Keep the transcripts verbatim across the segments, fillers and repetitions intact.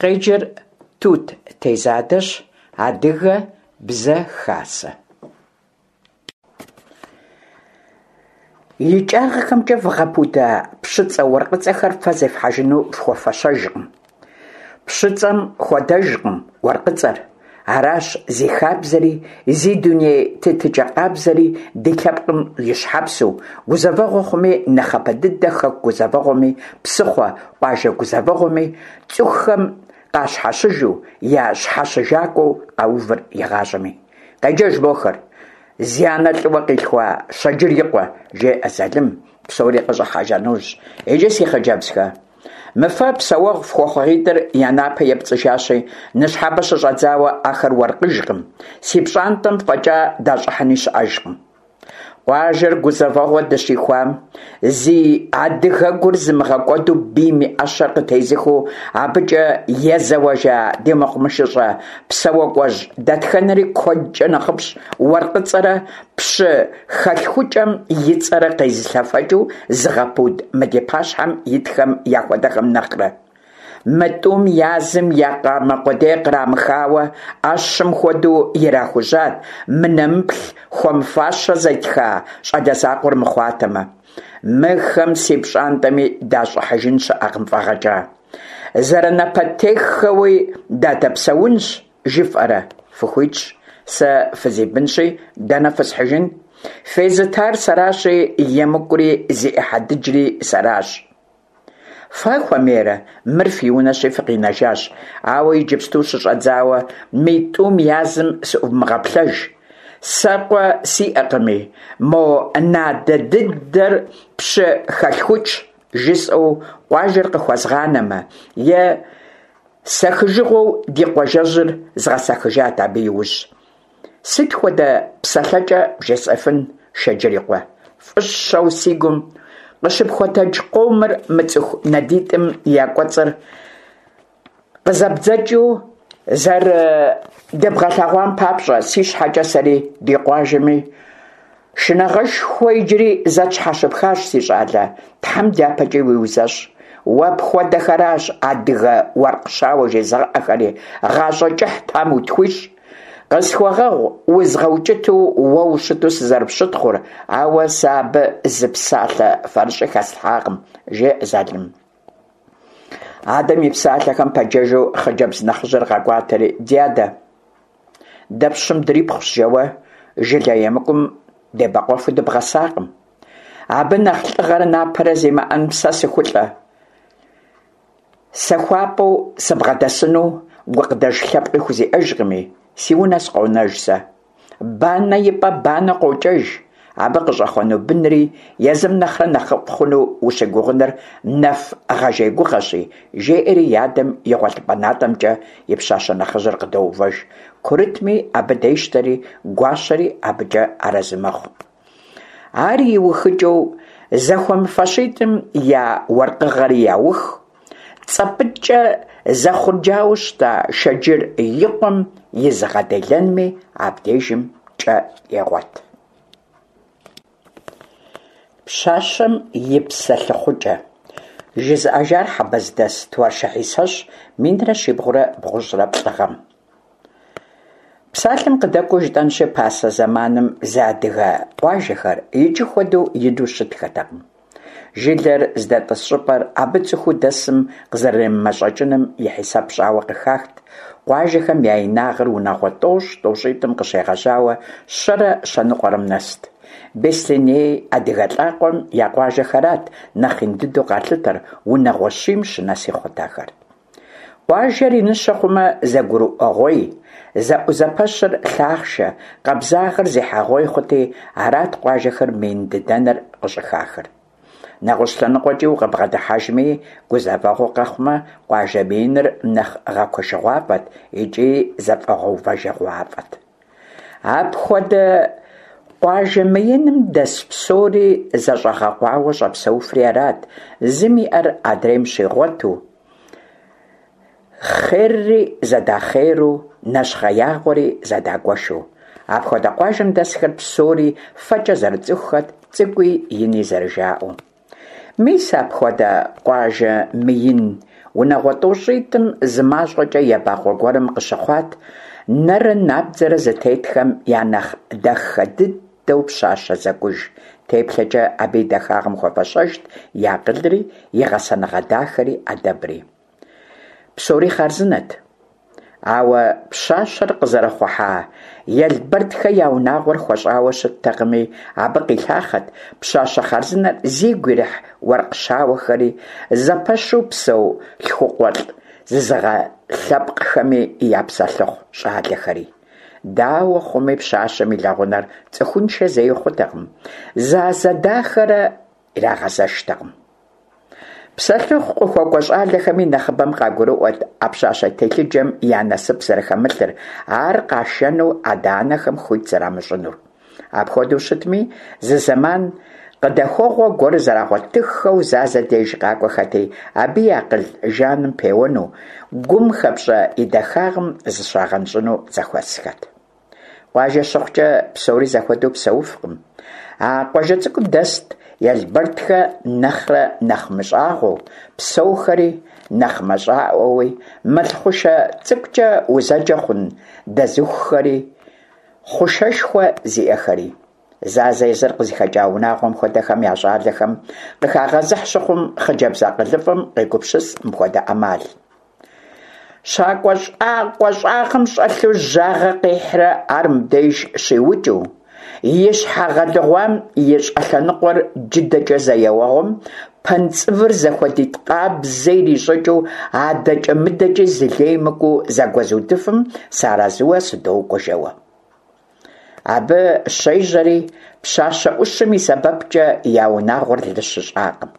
Къеджэр Тут Тезадэщ, Адыгэ Бзэ Хасэ. ИкӀагъэхэмкӀэ вгъэпуда пщыцӀэ-уэркъыцӀэхэр фэ зефхьэжыну фхуэфэщэжкъым. ПщыцӀэм хуэдэжкъым уэркъыцӀэр. Аращ зи хабзэри, зи дуней тетыкӀэ къабзэри ди лъэпкъым и щхьэпсу, гузэвэгъуэ хъуми, нэхъыбэ дыдэ хэку гузэвэгъуэми, псыхъуэ, къуажэ гузэвэгъуэми цӀыхухэм къащхьэщыжу, я щхьэщыжакӀуэу къэувыр игъащӀэми. Къеджэж мохэр! Зи анэ лӀыуэ къилъхуа Щэджыр и къуэ, жеӀэ Залым, псори къыщӀыхьэжа нэужь. Иджы, си хъыджэбзхэ, мы фэ псэуэгъу фхуэхъугъитӀыр я напэ епцӀыжащи, ныщхьэбэ щыщӀэдзауэ ахэр уэркъыжкъым, си пщӀантӀэм фӀэкӀа дащӀыхьыни щыӀэжкъым. Къуажэр гузэвэгъуэ дыщихуам, зи адыгэгур зымыгъэкӀуэду бийм и Ӏэщэр къытезыхыу абыкӀэ езэуэжа ди мэкъумэшыщӀэ псэуакӀуэжь дэтхэнэри куэдкӀэ нэхъыфӀщ уэркъыцӀэрэ пщы хэлъхукӀэм и цӀэрэ къезылъэфэкӀыу зыгъэпуд мы ди пащхьэм итхэм яхуэдэхэм нэхърэ. Мы тӀум язым я къамэ къудей кърамыхауэ, Ӏэщым хуэдэу ирахужьат, мы нэмыплъ хуэмыфащэ зэтха щӀалэ закъуэр мыхъуатэмэ. Мыхэм си пщӀантӀэми дащӀыхьыжын щыӀэкъым фӀэгъэкӀа. Зэрынапэтеххэуи дадэпсэунщ жыфӀэрэ? Фыхуитщ, сэ фызибынщи, дэнэ фысхьыжын? Фезытар сэращи, емыкӀури зи Ӏыхьэ дыджри сэращ. Фэ хуэмейрэ, мыр фи унэщи фыкъинэжащ, ауэ иджыпсту щыщӀэдзауэ мы тӀум язым сыӀувмыгъэплъэж. Сэ къуэ сиӀэкъыми, мо надэ дыдэр пщы хэлъхукӀщ жысӀэу къуажэр къыхуэзгъанэмэ, е сэхыжыгъуэу ди къуажэжьыр згъэсэхыжат абы иужь. Сыт хуэдэ псэлъэкӀэ бжесӀэфын, Шэджыр и къуэ? ФӀыщэу си гум къыщыпхуэтэдж къомыр мы цӀыху надитӀым я кӀуэцӀыр къызэбдзэкӀыу зэрыдэбгъэлъэгъуам папщӀэ, си щхьэкӀэ сэри, ди къуажэми шынагъэшхуэ иджыри зэ тщхьэщыпхащ, си щӀалэ, Тхьэм дяпэкӀи уиузэщӀ. Уэ пхуэдэхэращ адыгэ уэркъ щауэ жезыгъэӀэхэри, гъащӀэ кӀыхь Тхьэм утхуищӀ. Къысхуэгъэгъу узгъэукӀыту уэ ущыту сызэрыпщытхъур, ауэ сэ абы зы псалъэ фэрыщӀи хэслъхьакъым, жеӀэ Залым. Адэм и псалъэхэм пэджэжу хъыджэбз нэхъыжьыр къэкӀуатэри, ди адэ, дэ пщым дрипхъущ жэуэ жылэ емыкӀум дебэкъуэфу дыбгъэсакъым. Абы нэхъ лӀыгъэрэ напэрэ зимыӀэн сэ сыхулӀэ. СэхуапӀэу сыбгъэдэсыну гукъыдэж лъэпкъи хузиӀэжкъыми, си унэ сыкъонэж сэ. Банэ и пӀэ банэ къокӀэж. Абы къыщӀэхъуэну бынри езым нэхърэ нэхъыфӀ хъуну ущыгугъыныр нэф гъэжей гугъэщи, жеӀэри и адэм и гъуэлъыпӀэ натӀэмкӀэ и пщащэ нэхъыжьыр къыдоувэж. Курытми абы дещтэри, гуащэри абыкӀэ арэзы мэхъу. Ар иухыкӀэу зэхуэмыфэщитӀым я уэркъыгъэри яух, цӀэпӀыкӀэ зэхъурджауэ щыта Шэджыр и къуэм и зыгъэделэнми абдежым кӀэ егъуэт. Пщащэм и псэлъыхъукӀэ. ЖызыӀэжар Хьэбэздэс Туаршы Хьисэщ, минрэ щибгъурэ бгъущӀрэ плӏы гъэм. Псалъэм къыдэкӀуэу жытӀэнщи, пасэ зэманым зы адыгэ къуажэхэр иджы хуэдэу ину щытхэтэкъым. Жылэр здэтӀыс щӀыпӀэр абы цӀыхуу дэсым къызэремымэщӀэкӀыным и хьисэп щӀауэ къыхахт. Къуажэхэм я инагъыр унагъуэ тӀощӀ тӀощӀитӀым къыщегъэжьауэ щэрэ щэныкъуэрэм нэст. Беслъэней адыгэ лӀакъуэм я къуажэхэрат нэхъ ин дыдэу къалъытэр, унагъуэ щийм щынэси хъурт ахэр. Къуажэр иныщэ хъумэ, зэгурыӀуэгъуей, зэӀузэпэщыр лъахъшэ, къабзагъэр зехьэгъуей хъути, арат къуажэхэр мыин дыдэныр къыщӀыхахыр. НэгъуэщӀ лъэныкъуэкӀи укъыбгъэдыхьэжми, гузэвэгъуэ къэхъумэ, къуажэ мыиныр нэхъ гъэкуэшыгъуафӀэт икӀи зэфӀэгъэувэжыгъуафӀэт. Апхуэдэ къуажэ мыиным дэс псори зэщӀэгъэкъуауэ щӀэпсэуфри арат, зым иӀэр адрейм щигъуэту, хъерри зэдахъеру, нэщхъеягъуэри зэдагуэшу. Апхуэдэ къуажэм дэсхэр псори фэкӀэ зэрыцӀыхухэт, цӀыкӀуи ини зэрыжаӀэу. Мис апхуэдэ къуажэ мыин Унагъуэ тӀощӀитӀым зы мащӀэкӀэ ебакъуэ гуэрым къыщыхъуат нэрэ набдзэрэ зытетхэм я нэхъ дахэ дыдэу пщащэ зэкӀуж. ТеплъэкӀэ абы и дахагъым хуэфэщэжт и акъылри, и гъэсэныгъэ дахэри, Ӏэдэбри. Псори хъарзынэт. Ауэ пщащэр къызэрыхъухьа Елбэрдхэ я унагъуэр хуэщӀауэ щыттэкъыми, абы къилъахъэт пщащэ хъарзынэр зигу ирихь уэркъ щауэхэри, зэпэщу псэу лъхукъуэлӀ зызыгъэлъэпкъхэми я псэлъыхъу щӀалэхэри. Дауэ хъуми, пщащэм и лэгъунэр цӀыхуншэ зэи хъутэкъым, Зазэ дахэрэ ирагъэзэштэкъым. Псэлъыхъу къыхуэкӀуэ щӀалэхэми нэхъыбэм къагурыӀуэт а пщащэ телъыджэм я насып зэрыхэмылъыр, ар къашэну адэ-анэхэм хуит зэрамыщӀынур. Апхуэдэу щытми, зы зэман къыдэхуэгъуэ гуэр зэрагъуэтыххэу Зазэ деж къакӀуэхэти, абы и акъыл жаным пеуэну, гум хэпщӀэ и дахагъым зыщагъэнщӀыну зэхуэсхэт. Къуажэ щыхъукӀэ, псори зэхуэдэу псэуфкъым. А къуажэ цӀыкӀум дэст Елбэрдхэ нэхърэ нэхъ мыщӀагъуэу псэухэри, нэхъ мащӀэӀуэуи, мэл хъушэ цӀыкӀукӀэ узэджэ хъун дэзыхухэри, хъушэшхуэ зиӀэхэри. Зазэ езыр къызыхэкӀа унагъуэм хуэдэхэм я щӀалэхэм къыхагъэзыхь щыхъум, хъыджэбз акъылыфӀэм къегупсыс мыпхуэдэ Ӏэмал. ЩакӀуэ щӀакъуэ щӀагъым щӀэлъу жьагъэ къихьрэ ар мыбдеж щиукӀыу, и щхьэ гъэлыгъуам и щӀэлъэныкъуэр джыдэкӀэ зэ еуэгъуэм пэнцӀывыр зэхуэдитӀ къабзэ ирищӀыкӀыу, адэкӀэ-мыдэкӀи зы лей мыкӀуэу зэгуэзудыфым сыарэзыуэ сыдокӀуэ жэуэ. Абы щежьэри, пщащэ Ӏущым и сэбэпкӀэ я унагъуэр лы щыщӀакъым.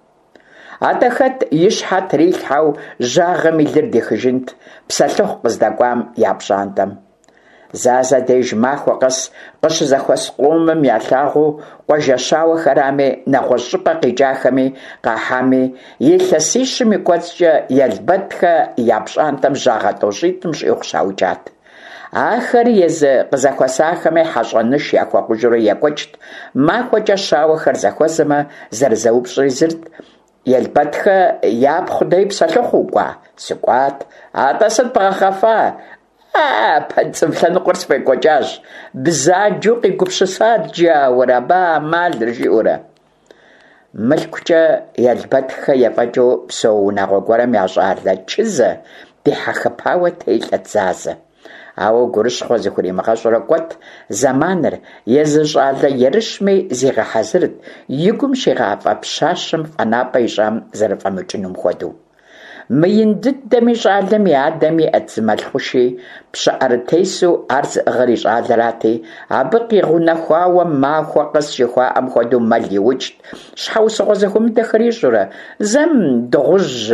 АтӀэ хэт и щхьэ трилъхьэу жьагъэм и лыр дихыжынт псэлъыхъу къыздэкӀуам я пщӀантӀэм? Зазэ деж махуэ къэс къыщызэхуэс къомым ялъагъуу къуажэщауэхэрами, нэгъуэщӀ щӀыпӀэ къикӀахэми къахьами, илъэсищым и кӀуэцӀкӀэ Елбэдхэ я пщӀантӀэм жьагъэ тӀощӀитӀым щӀигъу щаукӀат. Ахэр езы къызэхуэсахэми хьэщӀэныш яхуэхъужурэ екӀуэкӀт. МахуэкӀэ щауэхэр зэхуэзэмэ, зэрызэупщӀри зырт: «Елбэдхэ япхъу дей псэлъыхъу укӀуа?» «СыкӀуат». «АтӀэ сыт бгъэхъэфа?» «А, пэнцӀыв лъэныкъуэр сфӀекӀуэкӀащ. Бзаджэу къигупсысат джаур абы а Ӏэмалыр», жиӀэурэ. МылъкукӀэ Елбэдхэ ефӀэкӀыу псэу унагъуэ гуэрым я щӀалэ Чызэ дихьэхыпауэ телӀэт Зазэ. Ауэ гурыщхъуэ зыхуримыгъэщӀурэ кӀуэт зэманыр, езы щӀалэ ерыщми зигъэхьэзырт, и гум щигъафӀэ пщащэм фӀэнапӀэ ищӀам зэрыфӀэмыкӀынум хуэдэу. Мыин дыдэми, щӀалэм и адэм иӀэт зы мэл хъуши, пщыӀэрытесу ар зыӀыгъыр и щӀалэрати, абы къигъэунэхуауэ махуэ къэс жыхуаӀэм хуэдэу мэл иукӀт, щхьэусыгъуэ зэхуэмыдэхэр ищӀурэ, зэм дыгъужь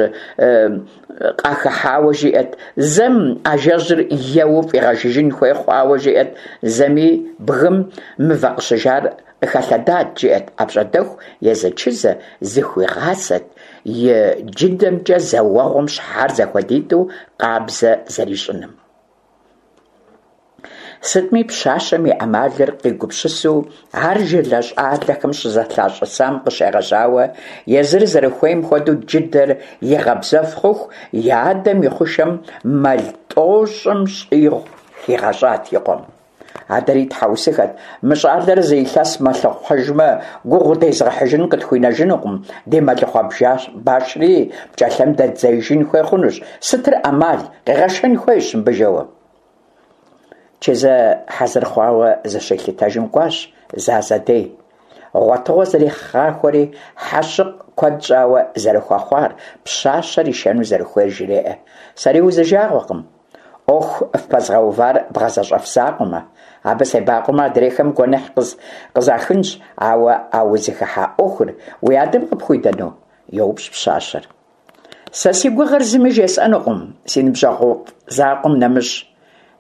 къахыхьауэ жиӀэт, зэм ажэжьыр еуэу фӀигъэжыжын хуей хъуауэ жиӀэт, зэми бгым мывэ къыщыжар къыхэлъэдат жиӀэт. АпщӀондэху езы Чызэ зыхуигъасэт и джыдэмкӀэ зэ уэгъуэм щхьэр зэхуэдитӀу къабзэ зэрищӀыным. Сытми, пщащэм и Ӏэмалыр къигупсысу ар жылэ щӀалэхэм щызэлъащӀысам къыщегъэжьауэ, езыр зэрыхуейм хуэдэу джыдэр игъэбзэф хъуху, и адэм и хъушэм мэл тӀощӀым щӀигъу хигъэщӀат и къуэм. Адэри тхьэусыхэт: «Мы щӀалэр зы илъэс мэлъыхъуэжмэ, гугъу дезыгъэхьыжын къытхуинэжынукъым, ди мэлыхъуэ башри пкӀэлъэм дэддзеижын хуей хъунущ, сытыр Ӏэмал, къегъэшэн хуейщ мыбы», жэуэ. Чызэ хьэзыр хъуауэ зыщилъытэжым кӀуащ Зазэ дей. Гъуэтыгъуэ зэригъахуэри, хьэщыкъ куэд щӀауэ зэрыхуэхъуар, пщащэр ишэну зэрыхуейр жреӀэ. «Сэри узижагъуэкъым, Ӏуэху фпэзгъэувар бгъэзэщӀэф закъуэмэ. Абы себакъуэмэ, адрейхэм гуэныхь къызахынщ, ауэ а узыхыхьа Ӏуэхур уи адэм къыпхуидэну? – йоупщӀ пщащэр. Сэ си гугъэр зыми жесӀэнукъым, си ныбжьэгъуфӀ закъуэм нэмыщӀ.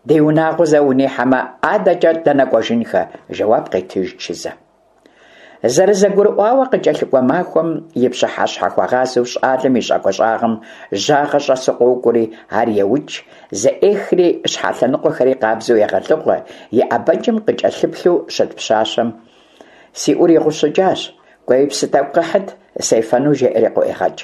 Ди унагъуэ зэ унихьэмэ, адэкӀэ дэнэ кӀуэжынхэ? – жэуап къетыж Чызэ. ЗэрызэгурыӀуауэ, къыкӀэлъыкӀуэ махуэм и пщыхьэщхьэхуэгъазэу щӀалэм и щӀакӀуэ щӀагъым жьагъэ щӀэсу къокӀуэри, ар еукӀ, зэӀехри щхьэ лъэныкъуэхэри къабзэу егъэлыгъуэ, и ӀэбэкӀэм къыкӀэлъыплъу щыт пщащэм «Си Ӏур игъущӀыкӀащ, кӀуэи псы тӀэкӀу къэхьыт, сефэну», жеӀэри къыӀуегъэкӀ.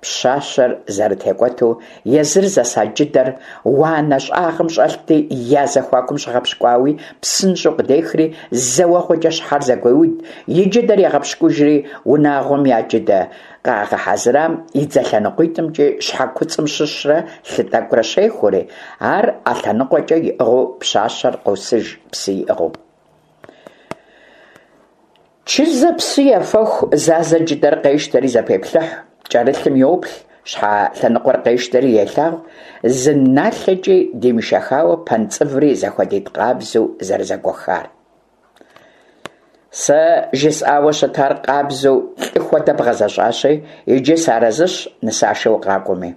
Пщащэр зэрытекӏуэту, езыр зэса джыдэр уанэ щӏагъым щӏэлъти, я зэхуакум щыгъэпщкӏуауи, псынщӏэу къыдехри, зэ уэгъуэкӏэ щхьэр зэгуеуд, и джыдэр егъэпщкӏужри, унагъуэм я джыдэ къагъэхьэзырам и дзэ лъэныкъуитӏымкӏи щхьэ куцӏым щыщрэ лъы тӏэкӏурэ щехури, ар ӏэ лъэныкъуэкӏэ иӏыгъыу пщащэр къосыж псы иӏыгъыу. Чызэ псы ефэху, Зазэ джыдэр къещтэри зэпеплъыхь, кӏэрылъым йоплъ, щхьэ лъэныкъуэр къещтэри елъагъу, зы налъэкӏи димышэхауэ пэнцӏыври зэхуэдитӏ къабзэу зэрызэгуэхар. Сэ жысӏауэ щытар къабзэу лӏы хуэдэ бгъэзэщӏащи, иджы сыарэзыщ нысашэ укъакӏуэми.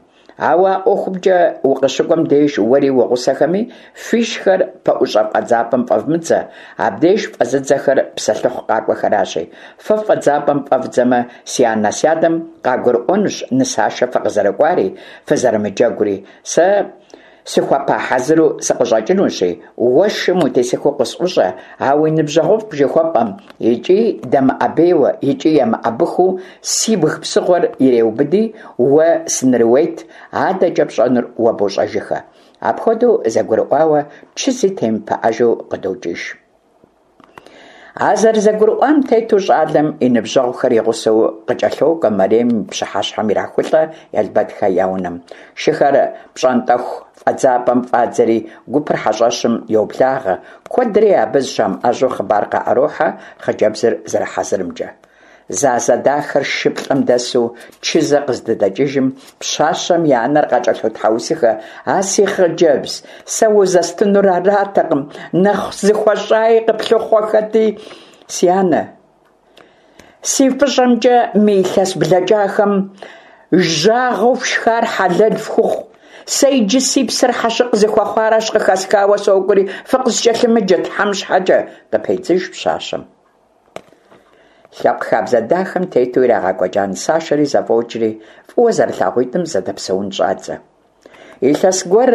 Ауэ а ӏуэхумкӏэ укъыщыкӏуэм деж уэри уи гъусэхэми фишхэр пэӏущӏэ фӏэдзапӏэм фӏэвмыдзэ, абдеж фӏэзыдзэхэр псэлъыхъу къакӏуэхэращи. Фэ фӏэдзапӏэм фӏэвдзэмэ, си анэ-сядэм къагурыӏуэнущ нысашэ фыкъызэрыкӏуари, фызэрымыджэгури. Сэ сыхуэпа хьэзыру сыкъыщӏэкӏынущи, уэ шым утесыхыу къысӏущӏэ, а уи ныбжьэгъуфӏ жыхуэпӏэм икӏи дэмыӏэбейуэ, икӏи емыӏэбыхыу сибг псыгъуэр иреубыди, уэ сынрыует, адэкӏэ пщӏэнур уэ бощӏэжыхэ. Апхуэдэу зэгурыӏуауэ, Чызи темыпыӏэжу къыдокӏыж. А зэрызэгурыӏуам тету щӏалэм и ныбжьэгъухэр и гъусэу къыкӏэлъокӏуэ Мэрем и пщыхьэщхьэм ирахулӏэ Елбэдхэ я унэм. Шыхэр пщӏантӏэху фӏэдзапӏэм фӏадзэри, гупыр хьэщӏэщым йоблагъэ. Куэдри абы зыщамыӏэжьу хъыбар къаӏэрохьэ хъыджэбзыр зэрыхьэзырымкӏэ. Зазэ дахэр шыплӏэм дэсу Чызэ къыздыдэкӏыжым, пщащэм и анэр къакӏэлъотхьэусыхэ: «А си хъыджэбз, сэ узэстынур аратэкъым, нэхъ зыхуэщӏаи къыплъыхъуэхэти, си анэ. Си фӏыщӏэмкӏэ мы илъэс блэкӏахэм жьагъэу фшхар хьэлэл фхухъу. Сэ иджы си псэр хьэщыкъ зыхуэхъуаращ къыхэсхауэ сокӏуэри, фыкъыскӏэлъымыджэ Тхьэм щхьэкӏэ», къыпедзыж пщащэм. Лъэпкъ хабзэ дахэм тету ирагъэкӏуэкӏа нысашэри зэфӏокӏри, фӏыуэ зэрылъагъуитӏым зэдэпсэун щӏадзэ. Илъэс гуэр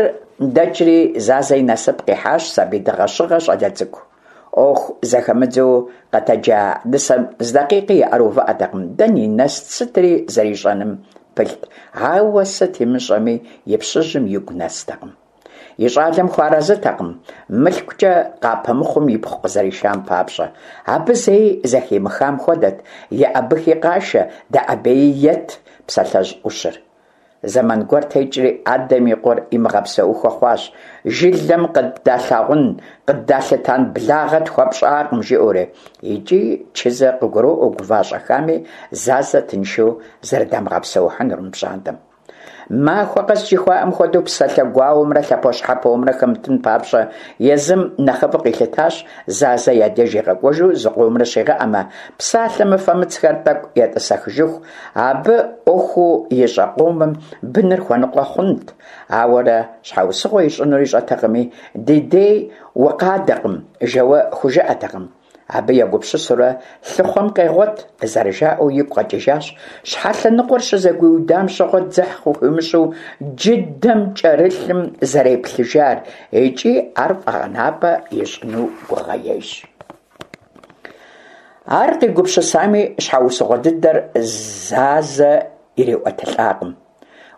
дэкӏри, Зазэ и насып къихьащ сабий дыгъэщыгъэ щӏалэ цӏыкӏу. ӏуэху зэхэмыдзэу къэтэджа нысэм зы дакъикъи и ӏэр увыӏэтэкъым, дэни нэст, сытри зэрищӏэным пылът, ауэ сыт имыщӏэми и пщыжьым игу нэстэкъым. И щӏалэм хуарэзытэкъым, мылъкукӏэ къапэмыхъум ипхъу къызэришам папщӏэ. Абы зэи зэхимыхам хуэдэт «еӏэбыхи къашэ, дэӏэбеи ет» псалъэжь ӏущыр. Зэман гуэр текӏри, адэм и къуэр имыгъэпсэухуэ хъуащ, жылэм къыддалъагъун, къыддалъытэн благъэ тхуэпщӏакъым, жиӏэурэ. Икӏи Чызэ къыгуроӏуэ гува-щӏэхами Зазэ тыншу зэрыдамыгъэпсэухьынур мы пщӏантӏэм. Махуэ къэс жыхуаӏэм хуэдэу псалъэ гуауэмрэ лъэпощхьэпомрэ хэмытын папщӏэ, езым нэхъыфӏу къилъытащ Зазэ я деж игъэкӏуэжу зыкъомрэ щигъэӏэмэ, псалъэ мыфэмыцхэр тӏэкӏу етӏысэхыжыху, абы ӏуэхуу ищӏэ къомым быныр хуэныкъуэ хъунт. Ауэрэ щхьэусыгъуэ ищӏынур ищӏэтэкъыми, ди дей укъадэкъым, жэуэ хужыӏэтэкъым. Абы егупсысурэ лъыхъуэм къегъуэт, зэрыжаӏэу игу къэкӏыжащ щхьэ лъэныкъуэр щызэгуиудам щыгъуэ дзыхь къыхуимыщӏу джыдэм кӏэрылъым зэреплъыжар икӏи ар фӏэгъэнапӏэ ищӏыну гугъэ ещӏ. Ар къигупсысами, щхьэусыгъуэ дыдэр Зазэ ириӏуэтылӏакъым.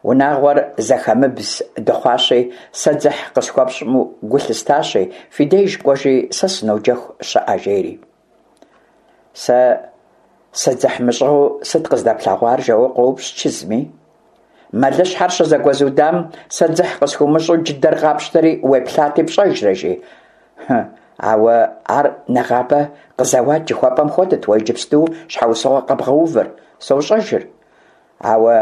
Унагъуэр зэхэмыбз дыхъуащи, сэ дзыхь къысхуэпщӏмэ гу лъыстащи, фи деж кӏуэжи, сэ сыноджэху щыӏэ, жери. Сэ сыдзыхьмыщӏыгъэу сыт къыздэплъэгъуар, жэуэ къоупщӏ Чызми. Мэлыщхьэр щызэгуэзудам сэ дзыхь къысхуумыщӏу джыдэр къапщтэри уеплъати пщӏэжрэ, жи. Ауэ ар нэгъабэ къызэуат жыхуэпӏэм хуэдэт уэ иджыпсту щхьэусыгъуэ къэбгъэувыр, сощӏэжыр. Ауэ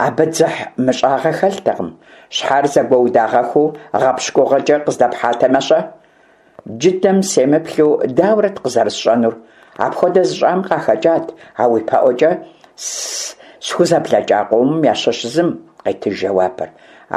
абы дзыхь мыщӏагъэ хэлътэкъым. Щхьэр зэгуэудагъэхуу гъэпщкӏугъэкӏэ къыздэпхьатэмэ-щэ? Джыдэм семыплъу дауэрэт къызэрысщӏэнур? Апхуэдэ зыщӏам къахэкӏат а уи пэӏуэкӏэ схузэблэкӏа къомым ящыщ зым, къетыж жэуапыр.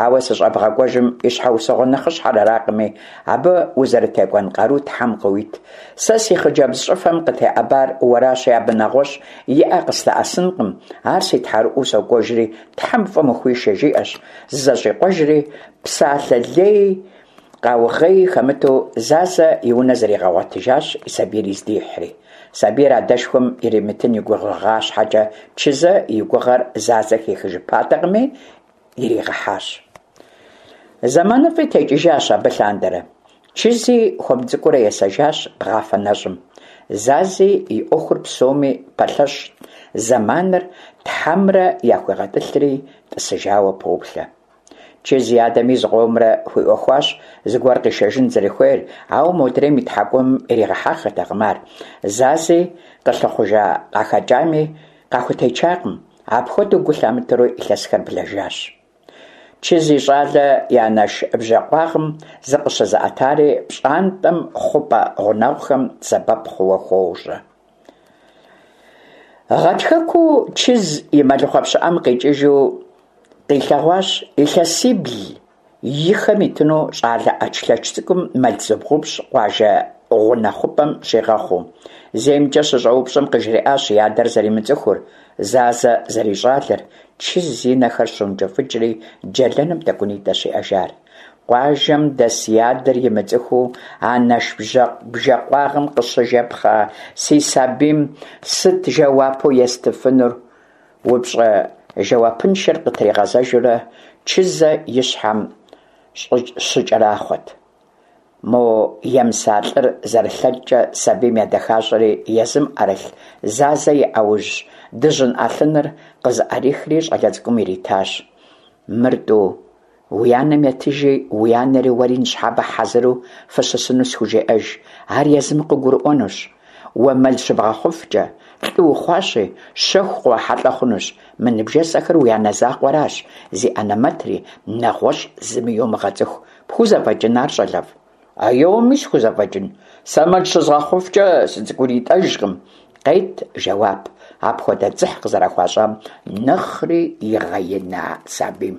Ауэ сыщӏэбгъэкӏуэжым и щхьэусыгъуэ нэхъыщхьэр аракъыми, абы узэрытекӏуэн къару Тхьэм къыуит. Сэ си хъыджэбз щӏыфэм къытеӏэбар уэращи, абы нэгъуэщӏ и ӏэ къыслъэӏэсынкъым, ар си тхьэрыӏуэу сокӏуэжри, Тхьэм фӏым ухуишэ, жиӏэщ, зызэщӏикъуэжри, псалъэ леи къаугъеи хэмыту Зазэ и унэ зригъэгъуэтыжащ и сабийри здихьри. Сабийр адэшхуэм иримытын и гугъа щхьэкӀэ, Чызэ и гугъэр Зазэ хихыжыпатэкъыми, иригъэхьащ. ЗэманыфӀи текӀыжащ абы лъандэрэ. Чызи хуэм цӀыкӀуурэ есэжащ бгъафэ нэщӀым. Зази и Ӏуэхур псоми пэлъэщ зэманымрэ Тхьэмрэ яхуигъэтӀылъри, тӀысыжауэ поплъэ. Чыз и адэми зыкъомрэ хуиӀуэхуащ зыгуэр къишэжын зэрыхуейр, ауэ модрейм и тхьэкӀумэм иригъэхьэххэртэкъым ар. Зази къылъыхъужа къахэкӀами, къахутечакъым. Апхуэдэу гу лъамытэурэ илъэсхэр блэжащ. Чыз и щӀалэ и анэш бжэкъуагъым зыкъыщызыӀэтари пщӀантӀэм хъупӀэ гъунэгъухэм сэбэп хъууэ хуожьэ. Гъатхэкуу Чыз и мэлыхъуэ пщыӀэм къикӀыжу къилъэгъуащ илъэсибл и хэм итыну щӀалэ Ӏэчлъэч цӀыкӀум мэл зыбгъупщӀ къуажэ гъунэ хъупӀэм щигъэхъуу. ЗеймкӀэ щыщӀэупщӀэм къыжриӀащ и адэр зэримыцӀыхур, Зазэ зэрищӀалэр. Чыз и нэхэр щӀэункӀыфӀыкӀри, джэлэным тӀэкӀунитӀэщ иӀэжар. Къуажэм дэс и адэр имыцӀыхуу анэш бжэкъуагъым къыщыжэпхъа си сабийм сыт жэуапу естыфынур? УпщӀэ жэуапыншэр къытригъэзэжурэ Чызэ и щхьэм щыкӀэрахъуэрт. Мо емыса лӀыр зэрылъэкӀкӀэ сабийм едэхащӀэри, езым Ӏэрылъ Зазэ и Ӏэужь дыжьын Ӏэлъыныр къызыӀэрихри щӀалэ цӀыкӀум иритащ. «Мыр, тӀу, уи анэм етыжи, уи анэри уэри ныщхьэбэ хьэзыру фыщысыну схужеӀэж, ар езым къыгурыӀуэнущ. Уэ мэл щыбгъэхъуфкӀэ, лӀы ухъуащи, щэху къыуахьэлӀэ хъунущ, мы ныбжесӀэхэр уи анэ закъуэращ зи анэмэтри, нэгъуэщӀ зыми йомыгъэцӀыху. ПхузэфӀэкӀын ар, щӀалэфӀ?» «Аеуэми схузэфӀэкӀын, сэ мэл щызгъэхъуфкӀэ сыцӀыкӀунитӀэжкъым», къет жэуап апхуэдэ дзыхь къызэрыхуащӀам нэхъри игъэина сабийм.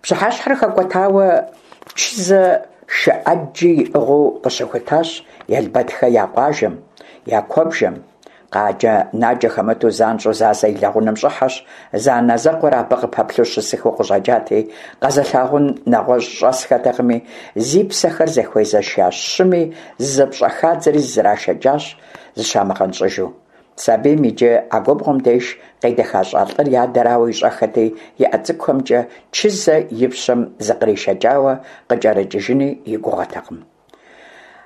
Пщыхьэщхьэр хэкӀуэтауэ Чызэ шы Ӏэджи иӀыгъыу къыщыхутащ Елбэдхэ я къуажэм, я куэбжэм. Къаджэ-наджэ хэмыту занщӀэу Зазэ и лэгъунэм щӀыхьэщ, зэанэзэкъуэр абы къыпэплъэу щысыхэу къыщӀэкӀати, къэзылъагъун нэгъуэщӀ щӀэсхэтэкъыми, зи псэхэр зэхуезэша щыми зызэпщӀэхадзэри зызэрашэкӀащ, зыщамыгъэнщӀыжу. Сабийм иджы а губгъуэм деж къедэхащӀа лӀыр и адэрауэ ищӀэххэти, и Ӏэ цӀыкӀухэмкӀэ Чызэ и пщэм зыкъришэкӀауэ къыкӀэрыкӀыжыни и гугъэтэкъым.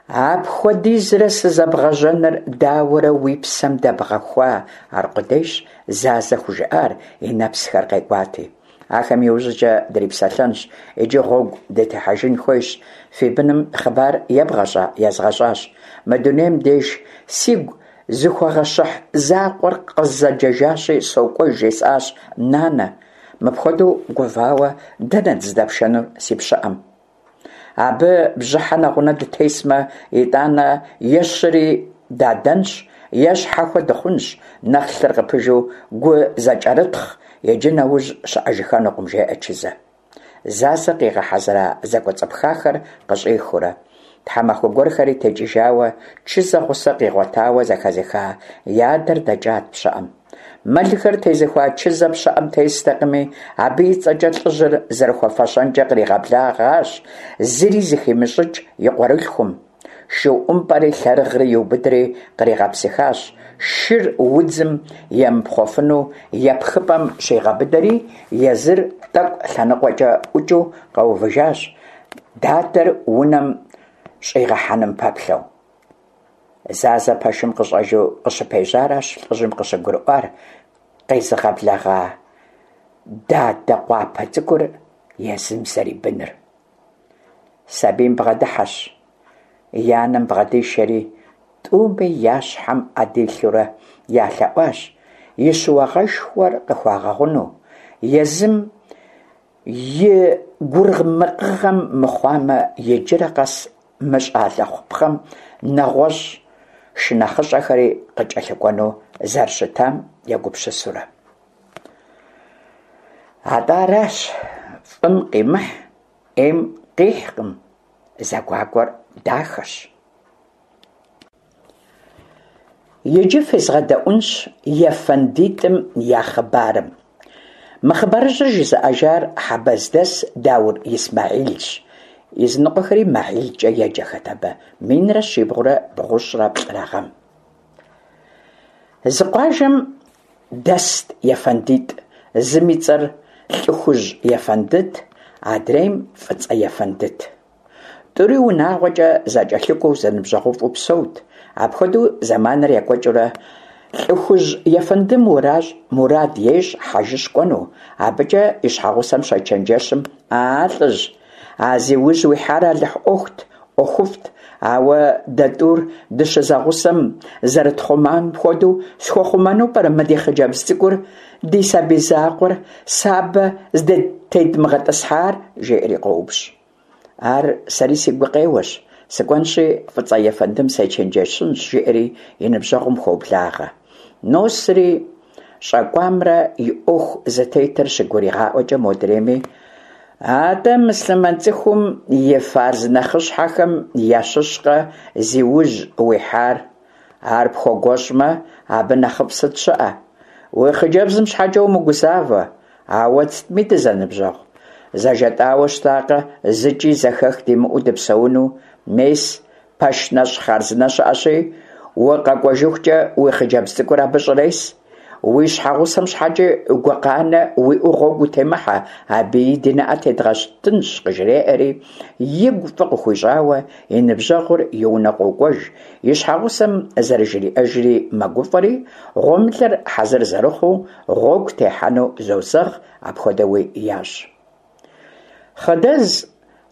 Апхуэдизрэ сызэбгъэжьэныр дауэрэ уи псэм дэбгъэхуа аркъудейщ Зазэ хужыӀар, и нэпсхэр къекӀуати. Ахэм иужькӀэ дрипсэлъэнщ, иджы гъуэгу дытехьэжын хуейщ. Фи быным хъыбар ебгъэщӀа? ЕзгъэщӀащ. Мы дунейм деж сигу зыхуэгъэщыхь закъуэр къызэджэжащи, сокӀуэж жесӀащ, нанэ. Мыпхуэдэу гувауэ дэнэт здэпшэнур си пщыӀэм? Абы бжьыхьэ нэгъунэ дытесмэ, итӀанэ е щыри дадэнщ, е щхьэхуэ дыхъунщ, нэхъ лъыр къыпыжу гу зэкӀэрытхъ иджы нэужь щыӀэжыхэнукъым, жеӀэ Чызэ. Зазэ къигъэхьэзыра зэкӀуэцӀыпхахэр къыщӀихыурэ. Тхьэмахуэ гуэрхэри текӀыжауэ, Чызэ гъусэ къигъуэтауэ зэхэзыха и адэр дэкӀат пщыӀэм. Мэлхэр тезыхуа Чызэ пщыӀэм тестэкъыми, абы и цӀэкӀэ лӀыжьыр зэрыхуэфэщэнкӀэ къригъэблэгъащ зыри зыхимыщӀыкӀ и къуэрылъхум. Шы ӀумпӀэри лъэрыгъри иубыдри къригъэпсыхащ, шыр удзым емыпхъуэфыну епхыпӀэм щигъэбыдэри, езыр тӀэкӀу лъэныкъуэкӀэ ӀукӀыу къэувыжащ, дадэр унэм щӀигъэхьэным пэплъэу. Зазэ пэшым къыщӀэжу къыщыпежьаращ лӀыжьым къыщыгурыӀуар къезыгъэблэгъа дадэ къуапэ цӀыкӀур езым зэрибыныр. Сабийм бгъэдыхьэщ, и анэм бгъэдишэри, тӀуми я щхьэм Ӏэ дилъэурэ ялъэӀуащ и щыуагъэшхуэр къыхуагъэгъуну, езым и гурымыкъыгъэм мыхъуамэ, иджырэ къэс мы щӀалэ хъупхъэм нэгъуэщӀ шынэхъыщӀэхэри къыкӀэлъыкӀуэну зэрыщытам егупсысурэ. АтӀэ аращ, фӀым къимыхь Ӏейм къихькъым, зэгуакӀуэр дахэщ. Иджы фезгъэдэӀуэнщ ефэндитӀым я хъыбарым. Мы хъыбарыжьыр жызыӀэжар хьэбэздэс Даур Исмэхьилщ. Языныкъуэхэри МэхьилкӀэ еджэхэт абы, минрэ щибгъурэ бгъущӀрэ плӀырэ гъэм. Зы къуажэм дэст ефэндитӀ: зым и цӀэр ЛӀыхужь ефэндыт, адрейм ФӀыцӀэ ефэндыт. ТӀури унагъуэкӀэ зэкӀэлъыкӀуэу, зэныбжьэгъуфӀу псэут. Апхуэдэу зэманыр екӀуэкӀыурэ, ЛӀыхужь ефэндым мурад ещӀ хьэжыщӀ кӀуэну. АбыкӀэ и щхьэгъусэм щечэнджэщым: «А-а, лӀыжь, а зи ужь уихьар Алыхь Ӏуэхут, ӀуэхуфӀт, ауэ дэ тӀур дыщызэгъусэм зэрытхъумам хуэдэу схуэхъумэну пӀэрэ мы ди хъыджэбз цӀыкӀур, ди сабий закъуэр, сабэ зытедмыгъэтӀысхьар?» жеӀэри къоупщӀ. «Ар сэри си гукъеуэщ, сыкӀуэнщи ФӀыцӀэ ефэндым сечэнджэщынщ», – жеӀэри и ныбжьэгъум хуоблагъэ. Носри, щӀэкӀуамрэ и Ӏуэху зытетыр щыгуригъаӀуэкӀэ, модрейми: «АтӀэ, муслъымэн цӀыхум и фарз нэхъыщхьэхэм ящыщкъэ зи ужь уихьар? Ар пхуэгуэщӀмэ, абы нэхъыфӀ сыт щыӀэ? Уи хъыджэбзым щхьэкӀэ умыгузавэ, ауэ сытми дызэныбжьэгъу. ЗэжетӀауэ щытакъэ зыкӀи зэхэх димыӀэу дыпсэуну? Мес, пэш нэщӀ хъарзынэ щыӀэщи, укъэкӀуэжыхукӀэ уи хъыджэбз цӀыкӀур абы щӀрес. Уи щхьэгъусэм щхьэкӀи гукъанэ уиӀэу гъуэгу утемыхьэ, абыи ди нэӀэ тедгъэтынщ», къыжреӀэри, игу фӀы къыхуищӀауэ и ныбжьэгъур и унэ къокӀуэж, и щхьэгъусэм зэрыжриӀэжри мэгуфӀэри, гъуэмылэр хьэзыр зэрыхъуу, гъуэгу техьэну зозэгъ, апхуэдэуи ящӀ. Хъыдэз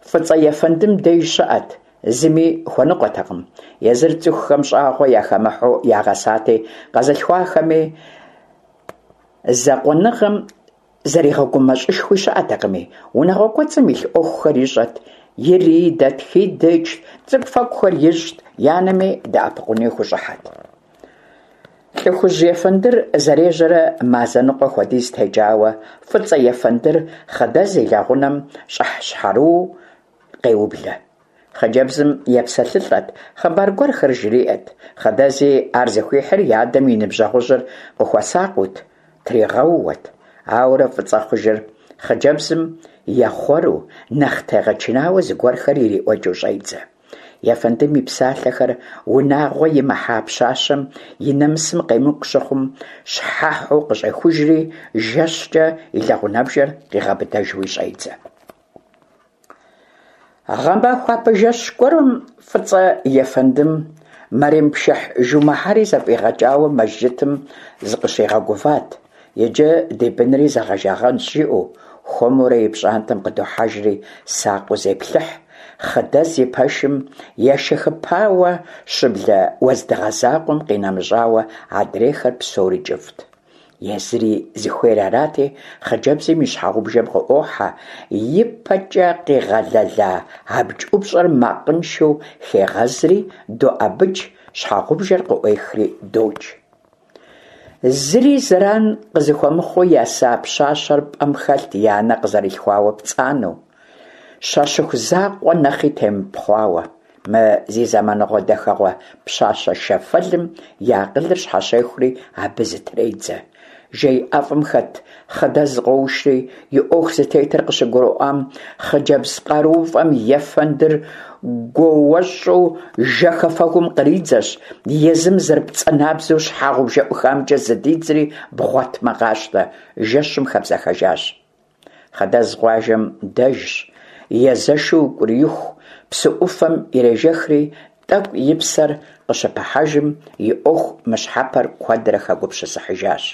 ФӀыцӀэ ефэндым деж щыӀэт, зыми хуэныкъуэтэкъым. Езыр цӀыхухэм щӀагъуэ яхэмыхьэу ягъэсати, къэзылъхуахэми закъуэныгъэм зэригъэгумэщӀышхуи щыӀэтэкъыми, унагъуэ кӀуэцӀым илъ Ӏуэхухэр ищӀэт, иридэт, хидыкӀт, цӀыкӀу-фэкӀухэр ищӀт, и анэми дэӀэпыкъуну хущӀыхьэт. ЛӀыхужь ефэндыр зэрежьэрэ мазэ ныкъуэ хуэдиз текӀауэ, ФӀыцӀэ ефэндыр Хъыдэз и лэгъунэм щӀыхьщхьэрыуэу къеублэ. Хъыджэбзым епсэлъылӀэт, хъыбар гуэрхэр жриӀэт. Хъыдэзи ар зыхуихьыр и адэм и ныбжьэгъужьыр къыхуэсакъыут, тригъэууэт. Ауэрэ фӀыцӀэ хъужыр хъыджэбзым ехъуэру, нэхъ тегъэчынауэ зыгуэрхэр ириӀуэкӀыу щӀедзэ. Ефэндым и псалъэхэр унагъуэ имыхьа пщащэм и нэмысым къемыкӀу щыхъум, щхьэхьу къыщӀехужри, жэщкӀэ и лэгъунэбжэр къигъэбыдэжуи щӀедзэ. Гъэмахуапэ жэщ гуэрым ФӀыцӀэ ефэндым мэрем пшыхь жумыхьэри зэфӀигъэкӀауэ мэжджытым зыкъыщигъэгуват, иджы ди бынри зэгъэжагъэнщ, жиӀэу, хуэмурэ и пщӀантӀэм къыдохьэжри сакъыу зеплъыхь. Хъыдэз и пэшым ешэхыпауэ щыблэ уэздыгъэ закъуэм къинэмыщӀауэ адрейхэр псори кӀыфӀт. Езыри зыхуейр арати, хъыджэбзым и щхьэгъубжэм къыӀуохьэ, и пэкӀэ къигъэлэла абдж ӀупщӀэр макъыншэу хегъэзри, доӀэбыкӀ, щхьэгъубжэр къыӀуехри докӀ. Зыри зэран къызыхуэмыхъуу еса пщащэр пӀэм хэлът и анэ къызэрилъхуауэ пцӀанэу, щащыху закъуэ нэхъи темыпхъуауэ. Мы зи зэманыгъуэ дахэгъуэ пщащэ шэфэлым и акъылыр щхьэщехури абы зытредзэ. Жей ӀэфӀым хэт Хъыдэз къоушри, и Ӏуэху зытетыр къыщыгурыӀуам, хъыджэбз къарууфӀэм ефэндыр гуоуэщӀу жэхэфэгум къридзэщ, езым зэрыпцӀанабзэу щхьэгъубжэ ӀухамкӀэ зыдидзри, бгъуэтмэ къащтэ, жэщым хэбзэхэжащ. Хъыдэз къуажэм дэжщ, езэшу укӀурииху псы Ӏуфэм ирежэхри, тӀэкӀу и псэр къыщыпыхьэжым, и Ӏуэху мыщхьэпэр куэдрэ хэгупсысыхьыжащ.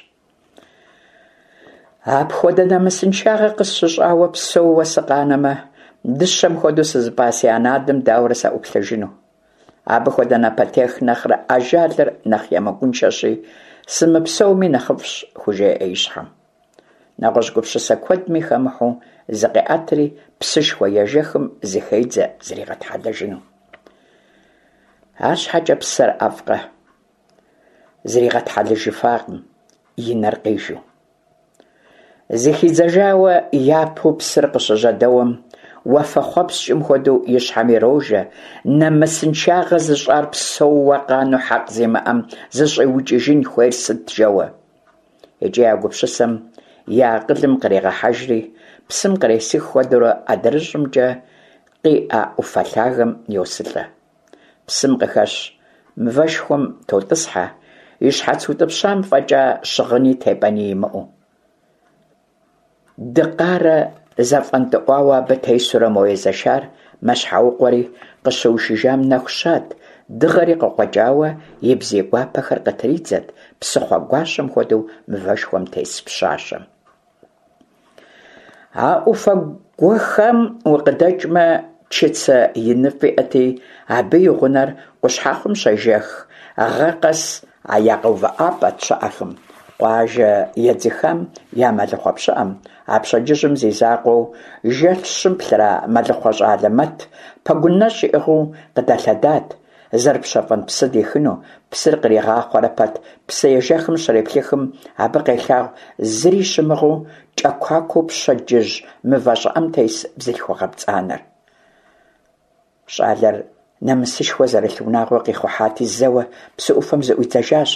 Апхуэдэ нэмысыншагъэ къысщыщӀауэ псэууэ сыкъанэмэ, дыщэм хуэдэу сызыпӀа си анэ-адэм дауэрэ саӀуплъэжыну? Абы хуэдэ напэтех нэхърэ ажалыр нэхъ емыкӀуншэщи, сымыпсэуми нэхъыфӀщ, хужеӀэ и щхьэм. НэгъуэщӀ гупсысэ куэдми хэмыхьэу зыкъеӀэтри, псышхуэ ежэхым зыхедзэ зригъэтхьэлэжыну. АрщхьэкӀэ псэр ӀэфӀкъэ, зригъэтхьэлэжыфакъым, и нэр къижу. Зыхидзэжауэ япэу псыр къыщыжьэдэуэм, уафэхъуэпскӀым хуэдэу и щхьэм ирожэ, нэмысыншагъэ зыщӀар псэууэ къанэу хьэкъ зимыӀэм зыщӀиукӀыжын хуейр сыт жэуэ. ИкӀи а гупсысэм и акъылым кърегъэхьэжри, псым къресых хуэдэурэ адрыщӀымкӀэ къиӀэ Ӏуфэ лъагэм йосылӀэ. Псым къыхэщ мывэшхуэм тотӀысхьэ, и щхьэц утӏыпщам фӏэкӏа щыгъыни тепӏэни имыӏэу. Дыкъарэ зэфӏэнтӏыӏуауэ абы тесурэ мо езэшар мэщхьэукъуэри, къыщыушыжам нэху щат, дыгъэри къыкъуэкӏауэ и бзий гуапэхэр къытридзэт псыхъуэ гуащэм хуэдэу мывэшхуэм тес пщащэм. А ӏуфэ гуэхам укъыдэкӏмэ, чыцэ иныфӏ иӏэти, абы и гъунэр къущхьэхъум щежэх гъэ къэс я къэувыӏэпӏэт щыӏэхэм. Къуажэ едзыхам я мэлыхъуэ пщыӏэм, а пщэдджыжьым зи закъуэу жэщым плъыра мэлыхъуэ щӏалэ Мэт пэгун нэщӏ иӏыгъыу къыдэлъэдат, зэрыпщэфӏэн псы дихыну. Псыр къригъахъуэрэ пэт псыежэхым щреплъыхым, абы къелъагъу зыри щымыгъыу кӏэкуакуэу пщэдджыжь мывэ щӏыӏэм тес бзылъхугъэ пцӏанэр. Щӏалэр нэмысышхуэ зэрылъ унагъуэ къихъухьати, зэуэ псы ӏуфэм зыӏуидзэжащ,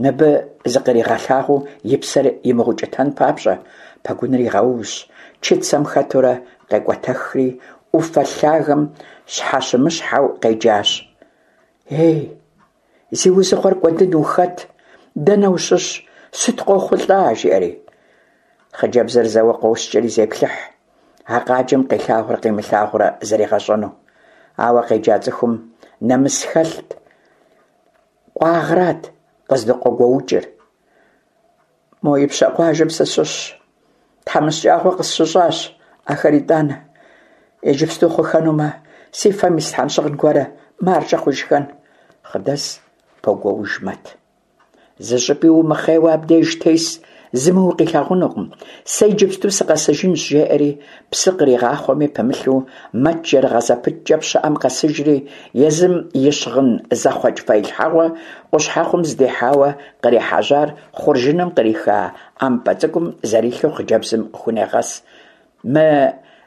мыбы зыкъригъэлъагъуу и псэр имыгъэукӏытэн папщӏэ. Пэгуныр игъэувщ, чыцэм хэтурэ къекӏуэтэхри, ӏуфэ лъагэм щхьэщымыщхьэу къеджащ: «Ей, зи узыгъуэр кӏуэдын, ухэт? Дэнэ ущыщ? Сыт къохъулӏа?» жиӏэри. Хъыджэбзыр зэуэ къоскӏэри зеплъыхь, а къаджэм къилъагъурэ къимылъагъурэ зэригъэщӏэну. Ауэ къеджа цӏыхум нэмыс хэлът, къуагърат къыздыкъуэгуэукӏыр. Мо ипщэ къуажэм сыщыщщ, тхьэмыщкӏагъуэ къысщыщӏащ, ахэр итӏанэ. Иджыпсту хъухэнумэ, си фэм ислъхьэн щыгъын гуэрэ, маржэ хъужыхэн. Хъыдэз погуэуж Мэт. Зыщӏыпӏи умыхъейуэ абдеж тес, зыми укъилъагъунукъым. Сэ иджыпсту сыкъэсыжынщ, жеӏэри, псы къригъахъуэми пымылъу, Мэт жэрыгъэ зэпыткӏэ пщыӏэм къэсыжри, езым и щыгъын зэхъуэкӏ фэилъхьэгъуэ къущхьэхъум здихьауэ кърихьэжьар хъуржыным къриха ӏэмпӏэ цӏыкӏум зэрилъу хъыджэбзым хунегъэс. Мы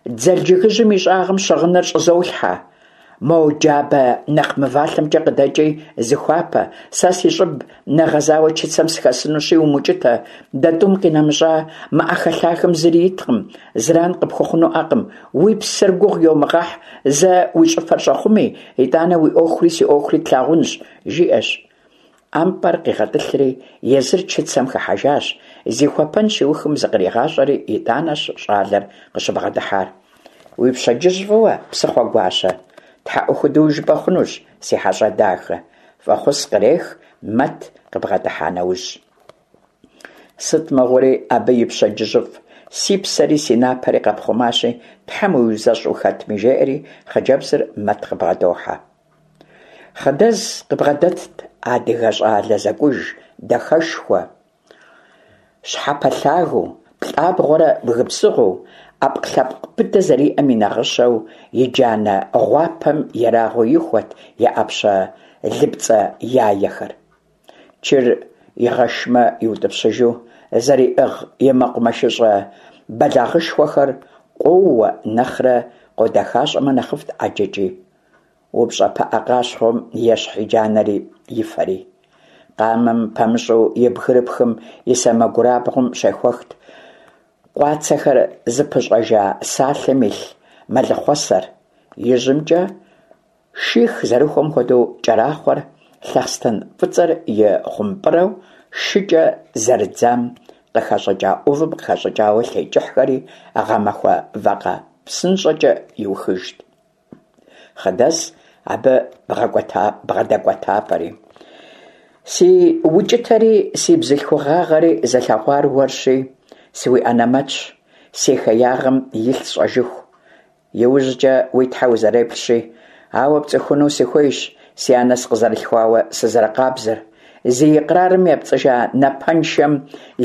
дзэл жыгыжьым и щӏагъым щыгъыныр щӏызолъхьэ. Мо джабэ нэхъ мывалъэмкӏэ къыдэкӏи зыхуапэ, сэ си щӏыб нэгъэзауэ чыцэм сыхэсынущи, умукӏытэ, дэ тӏум къинэмыщӏа мы ӏэхэлъахэм зыри иткъым, зэран къыпхуэхъунуӏэкъым, уи псэр гугъу йомыгъэхь, зэ уи щӏыфэр щӏэхъуми, итӏанэ уи ӏуэхури си ӏуэхури тлъагъунщ, жиӏэщ. ӏэмпӏэр къигъэтӏылъри, езыр чыцэм хыхьэжащ, зихуэпэн щиухым зыкъригъащӏэри, итӏанэщ щӏалэр къыщыбгъэдыхьар. Уи пщэдджыжь фӏыуэ, псыхъуэ гуащэ! Тхьэӏухуду жыпӏэ хъунущ, си хьэщӏэ дахэ! Фӏэхъус кърех Мэт къыбгъэдыхьа нэужь. Сыт мыгъуэри абы и пщэдджыжьыфӏ, си псэри си напэри къэпхъумащи, Тхьэм уиузэщӏ ухэтми, жеӏэри хъыджэбзыр Мэт къыбгъэдохьэ. Хъыдэз къыбгъэдэтт адыгэ щӏалэ зэкӏуж, дахэшхуэ, щхьэпэлъагэу, плӏабгъуэрэ бгы псыгъуэу, ӏэпкълъэпкъ быдэ зэриӏэм и нагъыщэу, и джанэ гъуапэм ерагъыу ихуэт и ӏэпщэ лыпцӏэ яехэр. Чыр игъэшмэ иутӏыпщыжу зэриӏыгъ и мэкъумэшыщӏэ бэлагъышхуэхэр къоуэ нэхърэ къодэхащӏэмэ нэхъыфӏт ӏэджэкӏи. Упщӏэ пыӏэ къащхъуэм ещхь и джанэри и фэри. Къамэм пэмыщӏу и бгырыпхым и сэмэгурабгъум щехуэхт къуацэхэр зыпыщӏэжа салъэм илъ мэлыхъуэсэр. Ижьымкӏэ ших зэрыхуэм хуэдэу кӏэрахъуэр, лъэхъстэн фӏыцӏэр и хъумпӏырэу шыкӏэ зэрыдзам къыхэщӏыкӏа ӏувым къыхэщӏыкӏауэ лъей кӏыхьхэри гъэмахуэ вакъэ псынщӏэкӏэ иухыжт. Хъыдэз абы бгъэдэкӏуэтапӏэри. Си укӏытэри си бзылъхугъагъэри зылъэгъуар уэрщи, сыуиӏэнэмэтщ, си хеягъэм илъ сщӏэжыху. Иужькӏэ уи тхьэ узэреплъщи, ауэ пцӏыхуну сыхуейщ си анэ сыкъызэрылъхуауэ сызэрыкъабзэр. Зи икърарым епцӏыжа напэншэм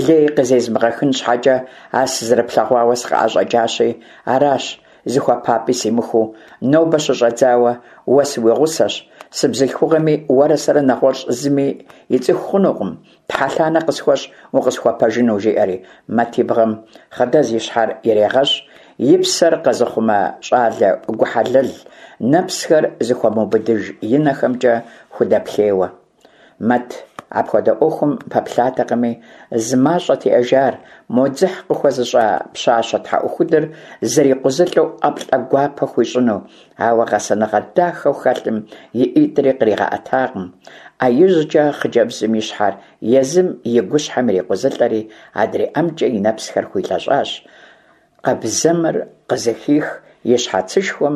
лей къызезмыгъэхын щхьэкӏэ а сызэрыплъэгъуауэ сыкъыӏэщӏэкӏащи, аращ зыхуэпапӏи симыхуу, нобэ щыщӏэдзауэ уэ сыуигъусэщ, сыбзылъхугъэми уэрэ сэрэ нэгъуэщӏ зыми и цӏыху хъунукъым, тхьэлъанэ къысхуэщӏ укъысхуэпэжыну, жиӏэри. Мэт и бгъэм Хъыдэз и щхьэр ирегъэщӏ, и псэр къэзыхъумэ щӏалэ гухьэлэл, нэпсхэр зыхуэмыубыдыж и нэхэмкӏэ худэплъейуэ. Мэт апхуэдэ ӏуэхум пэплъатэкъыми, зы мащӏэт иӏэжар, мо дзыхь къыхуэзыщӏа пщащэ тхьэӏухудыр зэрикъузылӏэу ӏэплӏэ гуапэ хуищӏыну, ауэ гъэсэныгъэ дахэу хэлъым и ӏитӏри къригъэӏэтакъым. ӏэ ижькӏэ хъыджэбзым и щхьэр езым и гущхьэм ирикъузылӏэри, адрей ӏэмкӏэ и нэпсхэр хуилъэщӏащ, къабзэмэр къызыхих и щхьэцышхуэм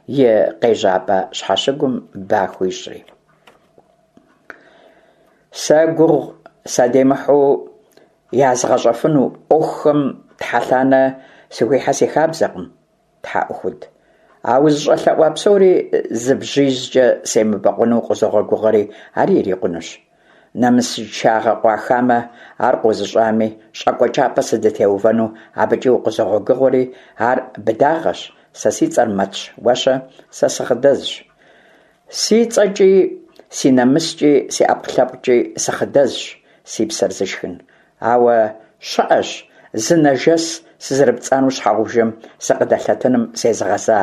и къежьапӏэ щхьэщыгум ба хуищӏри. Сэ гугъу садемыхьу язгъэщӏэфыну ӏуэхухэм тхьэлъанэ сыхуихьэ си хабзэкъым, тхьэӏухуд. А узыщӏэлъэӏуа псори зы бжьизкӏэ семыбэкъуэну укъызогъэгугъэри, ари ирикъунущ. Нэмысыншагъэ къуахамэ, ар къозыщӏами, щӏакӏуэ кӏапэ сыдытеувэну абыкӏи укъызогъэгугъэри, ар быдагъэщ. Сэ си цӏэр Мэтщ, уэ-щэ? Сэ сы-Хъыдэзщ. Си цӏэкӏи, си нэмыскӏи, си ӏэпкълъэпкъкӏи сы-Хъыдэзщ, си псэр зышхын. Ауэ щыӏэщ зы нэжэс сызэрыпцӏанэу щхьэгъубжэм сыкъыдэлъэтыным зезыгъэза.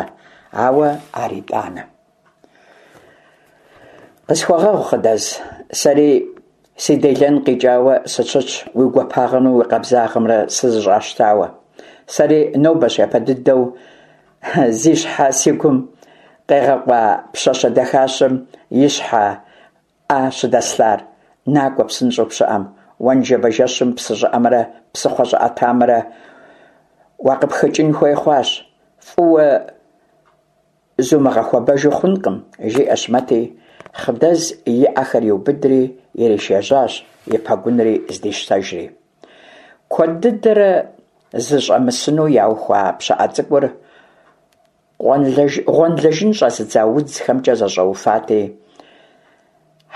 Ауэ ар итӏанэ. Къысхуэгъэгъу, Хъыдэз, сэри си делэн къикӏауэ сыщытщ уи гуапагъэмрэ уи къабзагъэмрэ сызэщӏащтауэ. Сэри нобэщ япэ дыдэу зи щхьэ си гум къегъэкъуа пщащэ дахащэм и щхьэ ӏэ щыдэслъар. Накӏуэ псынщӏэу пщыӏэм. Уэ ныжэбэ жэщым псы щӏыӏэмрэ псыхъуэ щӏыӏэтамрэ уакъыпхыкӏын хуей хъуащ. Фӏыуэ зумыгъэхуэбэжу хъункъым, жиӏэщ Мэти, Хъыдэз и ӏэхэр иубыдри иришэжьащ, и пэгунри здищтэжри. Куэд дыдэрэ зыщӏэмысыну яухуа пщыӏэ цӏыкӏур гъуэнлэжын щӏэзыдза удзхэмкӏэ зэщӏэуфати,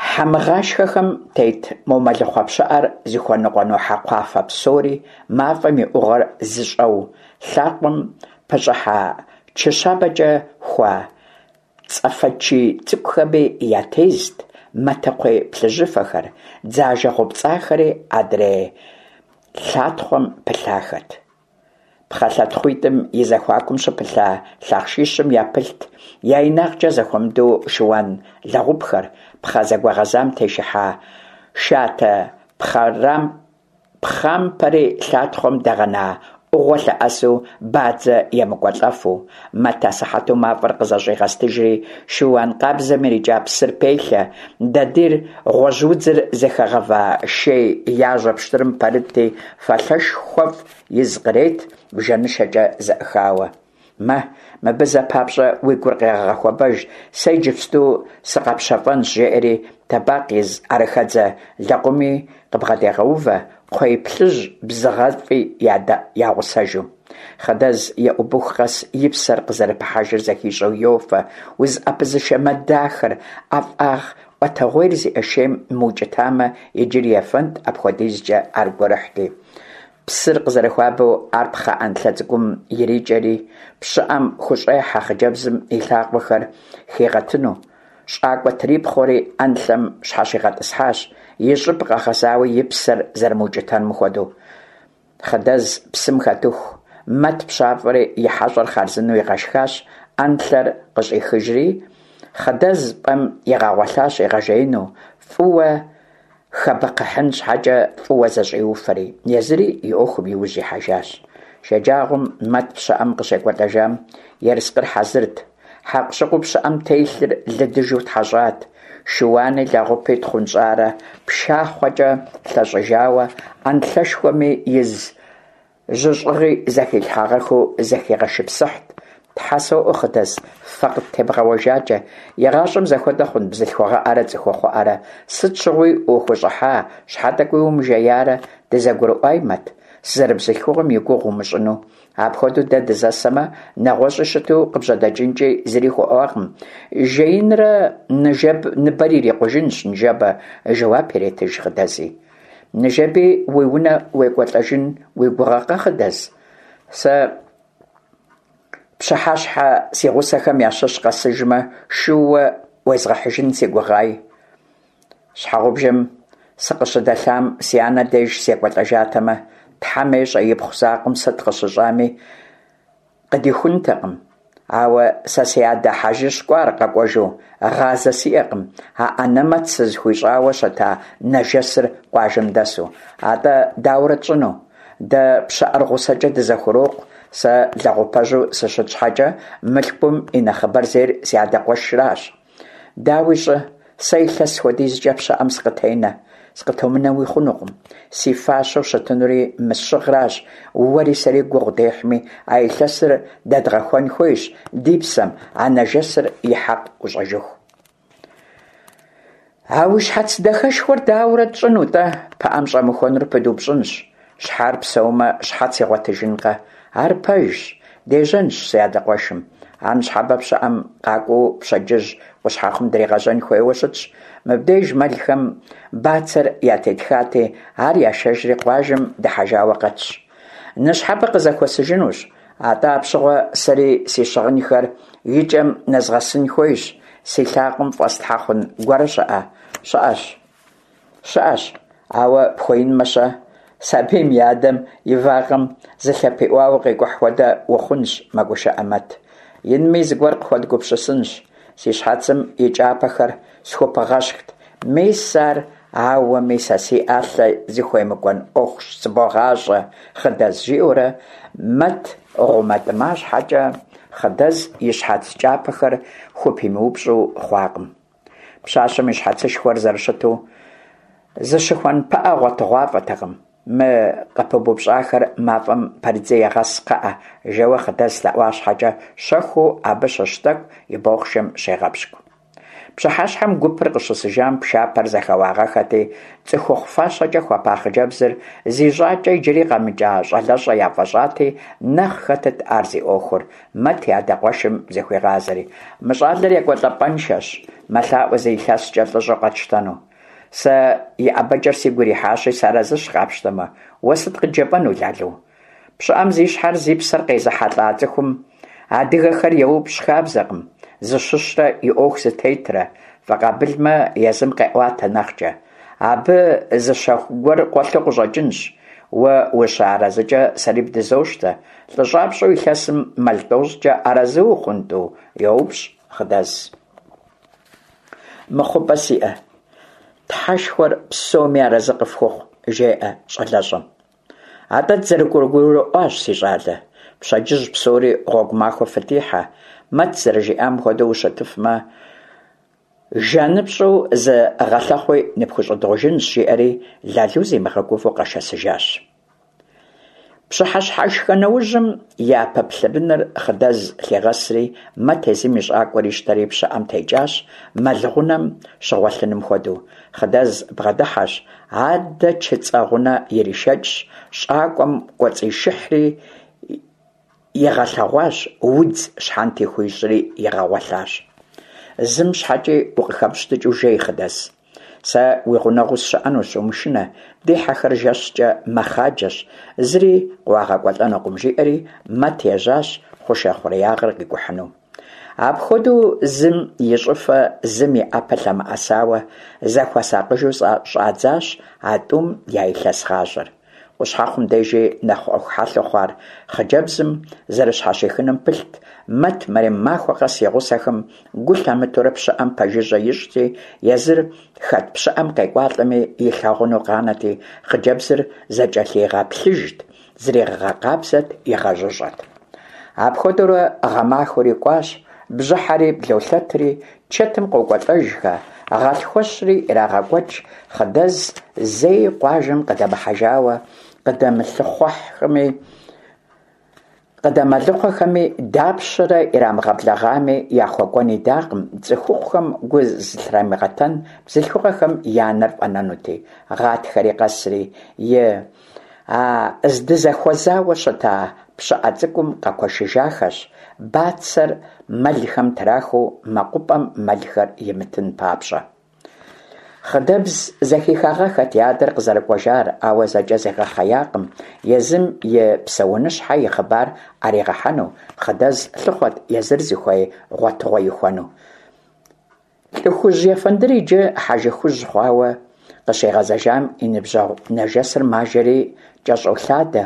хьэмыгъашхэхэм тет мо мэлыхъуэ пщыӏэр зыхуэныкъуэну хьэкхъуафэ псори, мафӏэм и ӏугъуэр зыщӏэу лъакъуэм пыщӏыхьа чы щабэкӏэ хуа цӏэфэчий цӏыкӏухэми ятезт, матэкхъуей плъыжьыфэхэр, дзажэ гъупцӏахэри адрей лъатхъуэм пылъахэт. Пхъэ лъэтхъуитӏым и зэхуакум щыпылъа лъахъшищым япылът я инагъкӏэ зэхуэмыдэу шыуан лэгъупхэр, пхъэ зэгуэгъэзам тешыхьа шатэ пхъампэри лъатхъуэм дэгъэна ӏугъуэ лъэӏэсу бадзэ емыкӏуэлӏэфу. Мэт асыхьэту мафӏэр къызэщӏигъэстыжри, шыуан къабзэм ирикӏа псыр пелъэ, дадийр гъуэжьудзыр зыхэгъэва шей яжьэ пщтырым пэрытти, фалъэшхуэфӏ из кърет, бжэнышэкӏэ зэӏыхауэ. Мэ, мыбы зэ папщӏэ уи гур къегъэгъэхуэбэж, сэ иджыпсту сыкъэпщэфӏэнщ, жеӏэри тэбакъ из ӏэрыхэдзэ лэкъуми къыбгъэдегъэувэ, кхъуей плъыжь бзыгъэфӏи ягъусэжу. Хъыдэз еӏубыху къэс и псэр къызэрыпыхьэжыр зэхищӏэу йофэ, узыӏэпызышэ мэ дахэр, ӏэфӏагъ ӏуэтэгъуейр зиӏэ шейм мыукӏытамэ, иджыри ефэнт, апхуэдизкӏэ ар гурыхьти. Псыр къызэрыхуабэу ар пхъэ ӏэнлъэ цӏыкӏум ирикӏэри, пщыӏэм хущӏехьэ хъыджэбзым и лъакъуэхэр хигъэтыну. Щӏакӏуэ трипхъуэри ӏэнлъэм щхьэщигъэтӏысхьащ, и щӏыб къэгъэзауэ и псэр зэрымыукӏытэнум хуэдэу. Хъыдэз псым хэтыху, Мэт пщафӏэри и хьэщӏэр хъарзынэу игъэшхащ, ӏэнлъэр къыщӏихыжри, Хъыдэз пӏэм игъэгъуэлъащ игъэжеину, фӏыуэ хэбэкхъыхьын щхьэкӏэ фӏыуэ зэщӏиуфэри, езыри и ӏуэхум иужь ихьэжащ. Шэджагъуэм Мэт пщыӏэм къыщекӏуэлӏэжам ерыскъыр хьэзырт. Хьэкъущыкъуу пщыӏэм телъыр лыдыжу тхьэщӏат. Шыуани лэгъупи тхъунщӏарэ пшахъуэкӏэ лъэщӏыжауэ, ӏэнлъэшхуэми из жьыщӏыгъи зэхилъхьагъэххэу зэхигъэшыпсыхьт. Тхьэ соӏуэ, Хъыдэз, фэ къыттебгъэуэжакӏэ. Игъащӏэм зэхуэдэ хъун бзылъхугъэӏэрэ цӏыхухъуӏэрэ? Сыт щыгъуи ухущӏыхьа, щхьэ тӏэкӏуи умыжеярэ? Дызэгурыӏуай, Мэт, сызэрыбзылъхугъэм и гугъу умыщӏыну. Апхуэдэу дэ дызэсэмэ, нэгъуэщӏи щыту къыбжьэдэкӏынкӏи зыри хуэӏуакъым. Жеинрэ ныбэр ирикъужынщ ныжэбэ, жэуап иретыж Хъыдэзи. Ныжэби уи унэ уекӏуэлӏэжын уи гугъэкъэ, Хъыдэз? Сэ пщыхьэщхьэ си гъусэхэм ящыщ къэсыжмэ, шууэ уезгъэхьыжын си гугъай. Щхьэгъубжэм сыкъыщыдэлъам си анэ деж секӏуэлӏэжатэмэ, Тхьэм ещӏэ ипхъу закъуэм сыт къыщыщӏами, къыдихунтэкъым. Ауэ сэ си адэ хьэжыщ кӏуар къэкӏуэжу, гъазэ сиӏэкъым, а ӏэнэмэт сызыхуищӏауэ щыта нэжэсыр къуажэм дэсу. Атӏэ дауэрэ тщӏыну? Дэ пщыӏэр гъусэкӏэ дызэхурокъу, сэ лэгъупэжьу сыщыт щхьэкӏэ, мылъкум и нэхъыбэр зейр си адэ къуэшращ. Дауи щӏы, Сэ илъэс хуэдизкӀэ пщыӀэм сыкъытенэ, сыкъытомынэуи хъунукъым. Си фащэу щытынури мы сщыгъращ, уэри сэри гугъу дехьми, а илъэсыр дэдгъэхуэн хуейщ ди псэм, а нэжэсыр и хьэкъ ӀущӀэжыху. А уи щхьэц дахэшхуэр дауэрэ тщӀыну-тӀэ? ПыӀэм щӀэмыхуэнур пыдупщӀынщ. Щхьэр псэумэ, щхьэц игъуэтыжынкъэ? Ар пэжщ. Дежьэнщ, си адэ къуэшым. Ар ныщхьэбэ пщыӀэм къакӀуэу пщэдджыжь Къущхьэхъум дригъэжьэн хуейуэ щытщ. Мыбдеж мэлхэм бацэр ятетхати, ар яшэжри къуажэм дыхьэжауэ къэтщ. Ныщхьэбэ къызэхуэсыжынущ. АтӀэ апщыгъуэ сэри си щыгъынхэр и кӀэм нэзгъэсын хуейщ. Си лъакъуэм фӀэслъхьэ хъун гуэрэ щыӀэ? ЩыӀэщ. ЩыӀэщ, ауэ пхуэинмэ-щэ? Сабийм и адэм и вакъэм зылъыпиӀуауэ къикӀухь хуэдэ ухъунщ, мэгушыӀэ Мэт. Инми, зыгуэр къыхуэдгупсысынщ. Си щхьэцым и кӀапэхэр схупыгъэщхт. Мис ар ауэми сэ си Ӏэлъэ зыхуемыкӀуэн Ӏуэхущ сыбогъащӀэ, Хъыдэз, – жиӀэурэ Мэт гъумэтӀыма щхьэкӀэ, Хъыдэз и щхьэц кӀапэхэр хупимыупщӀу хъуакъым. Пщащэм и щхьэцышхуэр зэрыщыту зыщыхуэн пыӀэ гъуэтыгъуафӀэтэкъым. Мы къыпыбупщӀахэр мафӀэм пэрыдзи егъэс, кхъыӀэ, жэуэ Хъыдэз лъэӀуа щхьэкӀэ, щэхуу абы щыщ тӀэкӀу и бохъшэм щегъэпщкӀу. Пщыхьэщхьэм гупыр къыщысыжам пшапэр зэхэуагъэххэти, цӀыхухъу фащэкӀэ хуэпа хъыджэбзыр зи щӀакӀэ иджыри къэмыкӀа щӀалэщӀэ яфӀэщӀати, нэхъ хэтыт ар зи Ӏуэхур, Мэт и адэ къуэшым зыхуигъазэри. Мы щӀалэр екӀуэлӀапӀэншэщ, мэлъаӀуэ зы илъэскӀэ лӀыщӀэу къэтщтэну. Сэ и ӀэбэкӀэр сигу ирихьащи, сыарэзыщ къапщтэмэ. Уэ сыт къыджепӀэну, Лалу? ПщыӀэм зи щхьэр зи псэр къезыхьэлӀа цӀыхум адыгэхэр еупщӀ хабзэкъым зыщыщрэ и Ӏуэху зытетрэ, фӀэкъабылмэ, езым къеӀуатэ нэхъкӀэ. Абы зы щэху гуэр къуэлъу къыщӀэкӀынщ. Уэ ущыарэзыкӀэ сэри бдызощтэ. ЛӀыщӀапщӀэу илъэсым мэл тӀощӀкӀэ арэзы ухъун, тӀу? – йоупщӀ Хъыдэз. МыхъупӀэ сиӀэ? Тхьэшхуэр псоми арэзы къыфхухъу, – жеӀэ щӀалэщӀэм. АтӀэ дызэрыгурыӀуащ, си щӀалэ. Пщэдджыжь псори гъуэгу махуэ фытихьэ. Мэт зэрыжиӀам хуэдэу ущытыфмэ, жаныпщӀу зы гъэлъэхъуи ныпхущӀыдгъужынщ, – жиӀэри Лалу зимыгъэгувэу къэшэсыжащ. Пщыхьэщхьэшхэ нэужьым япэ плъырыныр Хъыдэз лъигъэсри, Мэт езым и щӀакӀуэр ищтэри пщыӀэм текӀащ, мэл гъунэм щыгъуэлъыным хуэдэу. Хъыдэз бгъэдыхьэщ, адэ чыцӀэ гъунэ иришэкӀщ, щӀакӀуэм кӀуэцӀишыхьри игъэлъэгъуащ, удз щхьэнти хуищӀри игъэгъуэлъащ. Зым щхьэкӀи укъыхэмыщтыкӀыу жей, Хъыдэз. Сэ уи гъунэгъуу сыщыӀэнущ, умышынэ, ди хьэхэр жэщкӀэ мэхъаджэщ, зыри къыуагъэкӀуэлӀэнукъым, жиӀэри Мэт ежьащ хъушэ хъуреягъыр къикӀухьыну. Апхуэдэу зым и щӀыфэ, зым и Ӏэпэ лъэмыӀэсауэ, зэхуэсакъыжу щӀадзащ а тӀум я илъэс гъащӀэр. Къущхьэхъум дежи нэхъ Ӏуэху хьэлъэу хъуар хъыджэбзым зэрыщхьэщихыным пылът. Мэт мэрем махуэ къэс и гъусэхэм гу лъамытэурэ пщыӀэм пэжыжьэ ищӀти, езыр хэт пщыӀэм къекӀуалӀэми илъагъуну къанэти, хъыджэбзыр зэкӀэлъигъэплъыжт, зригъэкъабзэт, игъэжьыщӀэт. Апхуэдэурэ гъэмахуэри кӀуащ, бжьыхьэри блолъэтри, чэтым къокӀуэлӀэжхэ, гъэлъхуэщри ирагъэкӀуэкӀ, Хъыдэз зэи къуажэм къыдэмыхьэжауэ, къыдэмылъыхъуэхэми къыдэмэлыхъуэхэми дапщэрэ ирамыгъэблэгъами, яхуэкӀуэн идакъым, цӀыхухъухэм гу зылърамыгъэтэн бзылъхугъэхэм я нэр фӀэнэнути. Гъатхэри къэсри, и а здызэхуэзауэ щыта пщыӀэ цӀыкӀум къэкуэшыжахэщ, бацэр мэлхэм трахыу мэкъупӀэм мэлхэр имытын папщӀэ. Хъыдэбз зэхихагъэххэт и адэр къызэрыкӀуэжар, ауэ зэкӀэ зигъэхъеякъым, езым и псэуныщхьэ и хъыбар Ӏэригъэхьэну. Хъыдэз лъыхъуэрт езыр зыхуей гъуэтыгъуэ ихуэну. ЛӀыхужь ефэндыр иджы хьэжы хужь хъуауэ къыщигъэзэжам и ныбжьэгъу нэжэсыр мажэри кӀэщӀолъадэ: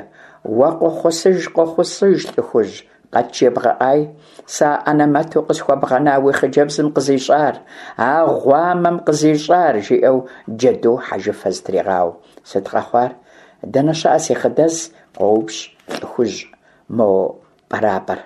«Уэ къохъусыж, къохъусыж, ЛӀыхужь, къэджебгъэӀай, сэ а анэмэту къысхуэбгъэна уи хъыджэбзым къызищӀар, а гъуамэм къызищӀар!» – жиӀэу джэду хьэжыфэ зытригъауэу. «Сыт къэхъуар? Дэнэ щыӀэ си Хъыдэз?» – къоупщӀ ЛӀыхужь мо пӀэрапӀэр.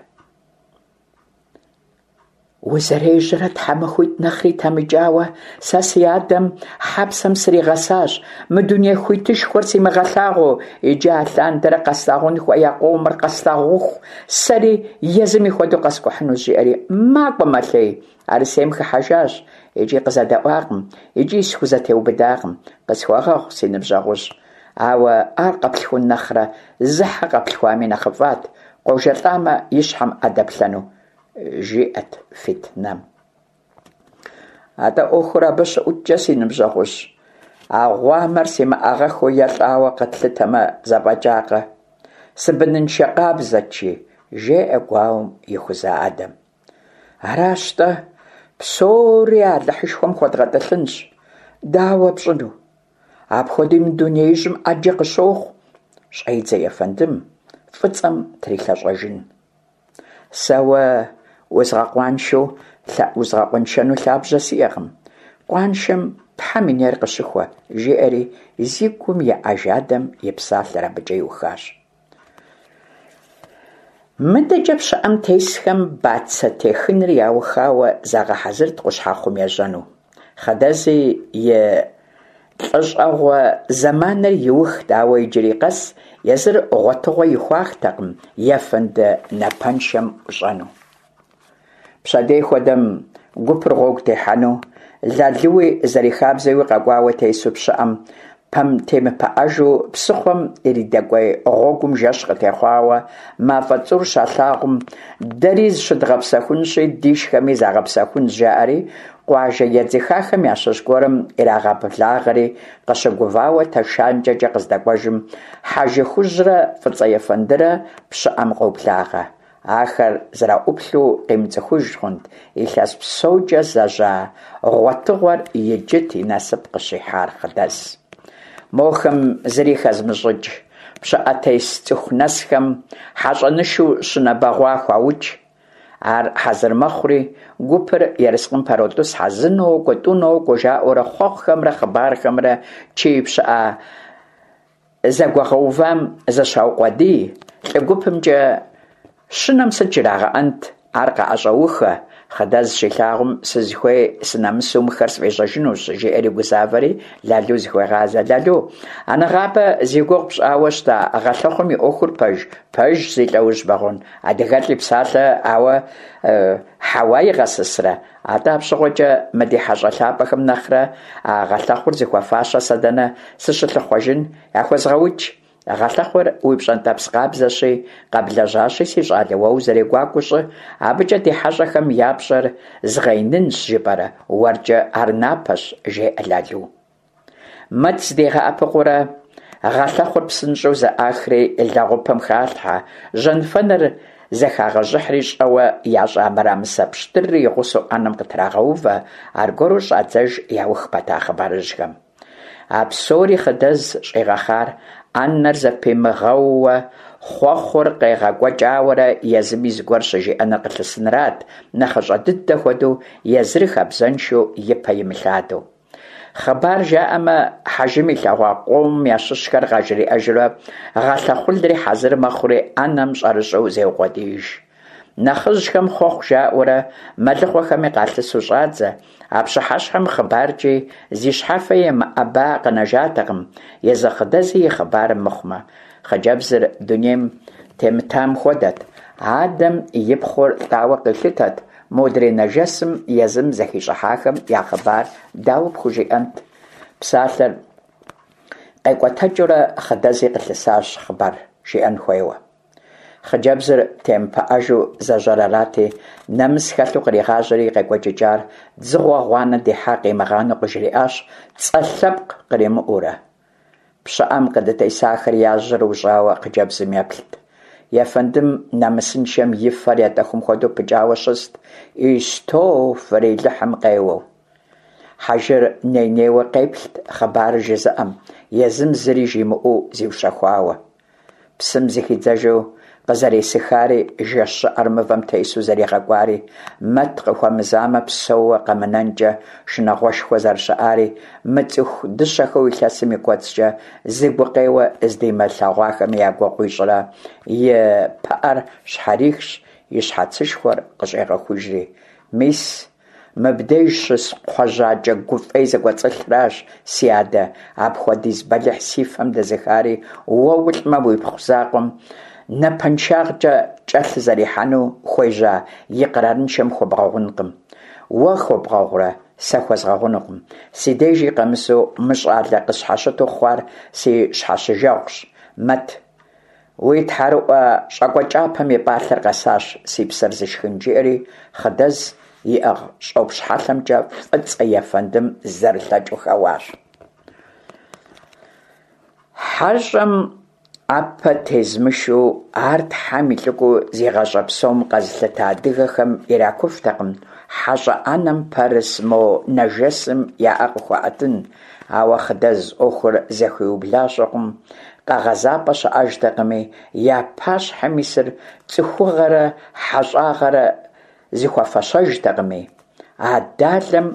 Узэрежьэрэ тхьэмахуитӀ нэхъри темыкӀауэ, сэ си адэм хьэпсэм сригъэсащ, мы дуней хуитышхуэр симыгъэлъагъуу, иджы алъандэрэ къэслъагъун хуея къомыр къэслъагъуху, сэри езыми хуэдэу къэскӀухьынущ, жиӀэри макӀуэ-мэлъей, Арысейм хыхьэжащ. ИкӀи къызэдэӀуакъым, икӀи схузэтеубыдакъым. Къысхуэгъэгъу, си ныбжьэгъужь, ауэ ар къэплъхун нэхърэ зы хьэ къэплъхуами нэхъыфӀат, къожэлӀамэ, и щхьэм Ӏэ дэплъэну, жиӀэт фитнэм. АтӀэ Ӏуэхур абы щыӀуткӀэ, си ныбжьэгъужь, а гъуамэр симыӀагъэххэу е лӀауэ къэтлъытэмэ, зэфӀэкӀакъэ? Сыбыныншэ къабзэт, жи, жеӀэ гуауэм ихуза адэм. Аращ-тӀэ, псори Алыхьышхуэм хуэдгъэтӀылъынщ. Дауэ пщӀыну? Апхуэдэуи мы дунеижьым Ӏэджэ къыщохъу, щӀедзэ ефэндым фӀыцӀэм трилъэщӀэжын. Сэ уэ узгъэкъуаншэу узгъэкъуэншэну лъабжьэ сиӀэкъым. Къуаншэм Тхьэм и нейр къыщыхуэ, жиӀэри зи гум еӀэж адэм и псалъэр абыкӀэ иухащ. МыдэкӀэ пщыӀэм тесхэм бацэ техыныр яухауэ загъэхьэзырт Къущхьэхъум ежьэну. Хъыдэзи и лӀыщӀэгъуэ зэманыр иухт, ауэ иджыри къэс езыр гъуэтыгъуэ ихуатэкъым ефэнды напэншэм ӀущӀэну. Пщэдей хуэдэм гупыр гъуэгу техьэну, Лалуи зэрихабзэуи къэкӀуауэ тесу пщыӀэм темыпыӀэжу псыхъуэм иридэкӀуей гъуэгум жэщ къытехъуауэ, мафӀэ цӀур щалъагъум, дэри зыщыдгъэпсэхунщи, дишхэми загъэпсэхунщ, жаӀэри къуажэ едзыхахэм ящыщ гуэрым ирагъэблагъэри, къыщыгувауэ тэшанкӀэкӀэ къыздэкӀуэжым, Хьэжы Хужьрэ ФӀыцӀэ ефэндырэ пщыӀэм къоблагъэ. Ахэр зэраӀуплъэу къимыцӀыхуж хъунт, илъэс псокӀэ зэжьа гъуэтыгъуэр иджыт и насып къыщихьар Хъыдэз. Мохэм зыри хэзмыщӀыкӀ пщыӀэтес цӀыху нэсхэм хьэщӀэнышу щынэ бэгъуа хуаукӀ. Ар хьэзыр мэхъури, гупыр ерыскъым пэротӀысхьэ, зы нокӀуэ, тӀу нокӀуэ, жаӀэурэ хъуэхъухэмрэ хъыбархэмрэ чей пщыӀэ зэгуэгъэувам зыщаукъуэдий. ЛӀы гупымкӀэ щынэм сыт жрагъэӀэнт, ар къаӀэщӀэухэ. Хъыдэз щилъагъум, сызыхуей сынэмысу мыхэр сфӀежьэжынущ, жиӀэри гузавэри Лалу зыхуегъазэ. Лалу, а нэгъабэ зи гугъу пщӀауэ щыта гъэлъэхъум и Ӏуэхур пэж? Пэжщ, зи лӀэужь бэгъуэн. АдыгэлӀ и псалъэ ауэ хьэуа игъэсысрэ? АтӀэ апщыгъуэкӀэ мы ди хьэщӀэ лъапӀэхэм нэхърэ а гъэлъэхъур зыхуэфащэ сэ дэнэ сыщылъыхъуэжын? ЯхуэзгъэукӀ. Гъэлъэхъур уи пщӀэнтӀэпс къабзэщи, къэблэжьащи, си щӀалэ, уэ узэрегуакӀуэу щӀы, абыкӀэ ди хьэщӀэхэм я пщӀэр згъэинынщ жыпӀэрэ, уэркӀэ ар напэщ, жеӀэ Лалу. Мэт зыдигъэӀэпыкъуурэ гъэлъэхъур псынщӀэу зэӀахри лэгъупым халъхьэ, жьэнфэныр зэхагъэжьыхьри щӀэуэ ящӀа мырамысэ пщтырри и гъусэу Ӏэнэм къытрагъэувэ, аргуэру щӀадзэж яух пэта хъыбарыжьхэм. А псори Хъыдэз щӀигъэхъар Ӏэнэр зэпимыгъэууэ хъуэхъур къегъэкӀуэкӀауэрэ езыми зыгуэр щыжиӀэныр къылъысынрат, нэхъыщӀэ дыдэ хуэдэу езыр хабзэншэу и пэ имылъадэу. Хъыбар жаӀэмэ, хьэжым илъэгъуа къомым ящыщхэр къажриӀэжурэ гъэлъэхъулри хьэзыр мэхъури Ӏэнэм щӀэрыщӀэу зеукъуэдииж. Нэхъыжьхэм хъуэхъу жаӀэурэ мэлыхъуэхэми къалъысу щӀадзэ. А пщыхьэщхьэм хъыбаркӀи зи щхьэфэ емыӀэба къэнэжатэкъым, езы Хъыдэзи и хъыбарым мыхъумэ. Хъыджэбзыр дунейм темытам хуэдэт. Адэм и пхъур лӀауэ къилъытэт, модрей нэжэсым езым зэхищӀыхьахэм я хъыбар дауэ пхужиӀэнт? Псалъэр къекӀуэтэкӀыурэ Хъыдэзи къылъысащ хъыбар жиӀэн хуейуэ. Хъыджэбзыр темыпыӀэжу зэжьэр арати, нэмыс хэлъу къригъажьэри и къекӀуэкӀыкӀар дзыгъуэ гъуанэ дихьа къимыгъанэу къыжриӀащ, цӀэ лъэпкъ къримыӀуэурэ. ПщыӀэм къыдытесахэр я жьэр ущӀауэ хъыджэбзым еплът. Ефэндым нэмысыншэм и фэр етӀэхум хуэдэу пыкӀауэ щыст, Истофрилыхьым къеуэу. Хьэжыр ней-нейуэ къеплът хъыбарыр жызыӀэм, езым зыри жимыӀэу зиущэхуауэ. Псым зыхидзэжу къызэресыхари, жэщ щӀыӀэр мывэм тесу зэригъэкӀуари, Мэт къыхуэмызамэ псэууэ къэмынэнкӀэ шынагъуэшхуэ зэрыщыӀари, мы цӀыху дыщэхэу илъэсым и кӀуэцӀкӀэ зы гукъеуэ здимылъэгъуахэми я гугъу ищӀрэ и пыӀэр щхьэрихщ, и щхьэцышхуэр къыщӏегъэхужри. Мис, мыбдеж щыс кхъуэжьакӏэ гу фӏей зэкӏуэцӏылъращ, си адэ, апхуэдиз бэлыхь си фэм дэзыхари, уэ улӏмэ, уипхъу закъуэм напэншагъэкӏэ кӏэлъызэрихьэну хуежьа икърарыншэм хуэбгъэгъункъым. Уэ хуэбгъэгъурэ, сэ хуэзгъэгъунукъым. Си дежи къэмысу мы щӏалэ къысщхьэщыту хъуар си щхьэщыжэгъущ, Мэт. Уи тхьэрыӏуэ щӏакӏуэ кӏапэм и пӏалъэр къэсащ, си псэр зышхын, жиӏэри Хъыдэз иӏыгъ щӏопщ хьэлъэмкӏэ Фӏыцӏэ ефэндым зэрылъэкӏыу хэуащ. Хьэщӏэм ӏэпэ тезмышу, ар Тхьэм и лӏыкӏуэу зи гъащӏэ псом къэзылъыта адыгэхэм иракуфтэкъым хьэщӏэ ӏэнэм пэрыс мо нэжэсым я ӏэ къыхуаӏэтын, ауэ Хъыдэз ӏуэхур зэхиубла щыхъум, къэгъэзапӏэ щыӏэжтэкъыми, я пащхьэм исыр цӏыхугъэрэ хьэщӏагъэрэ зыхуэфэщэжтэкъыми, а далэм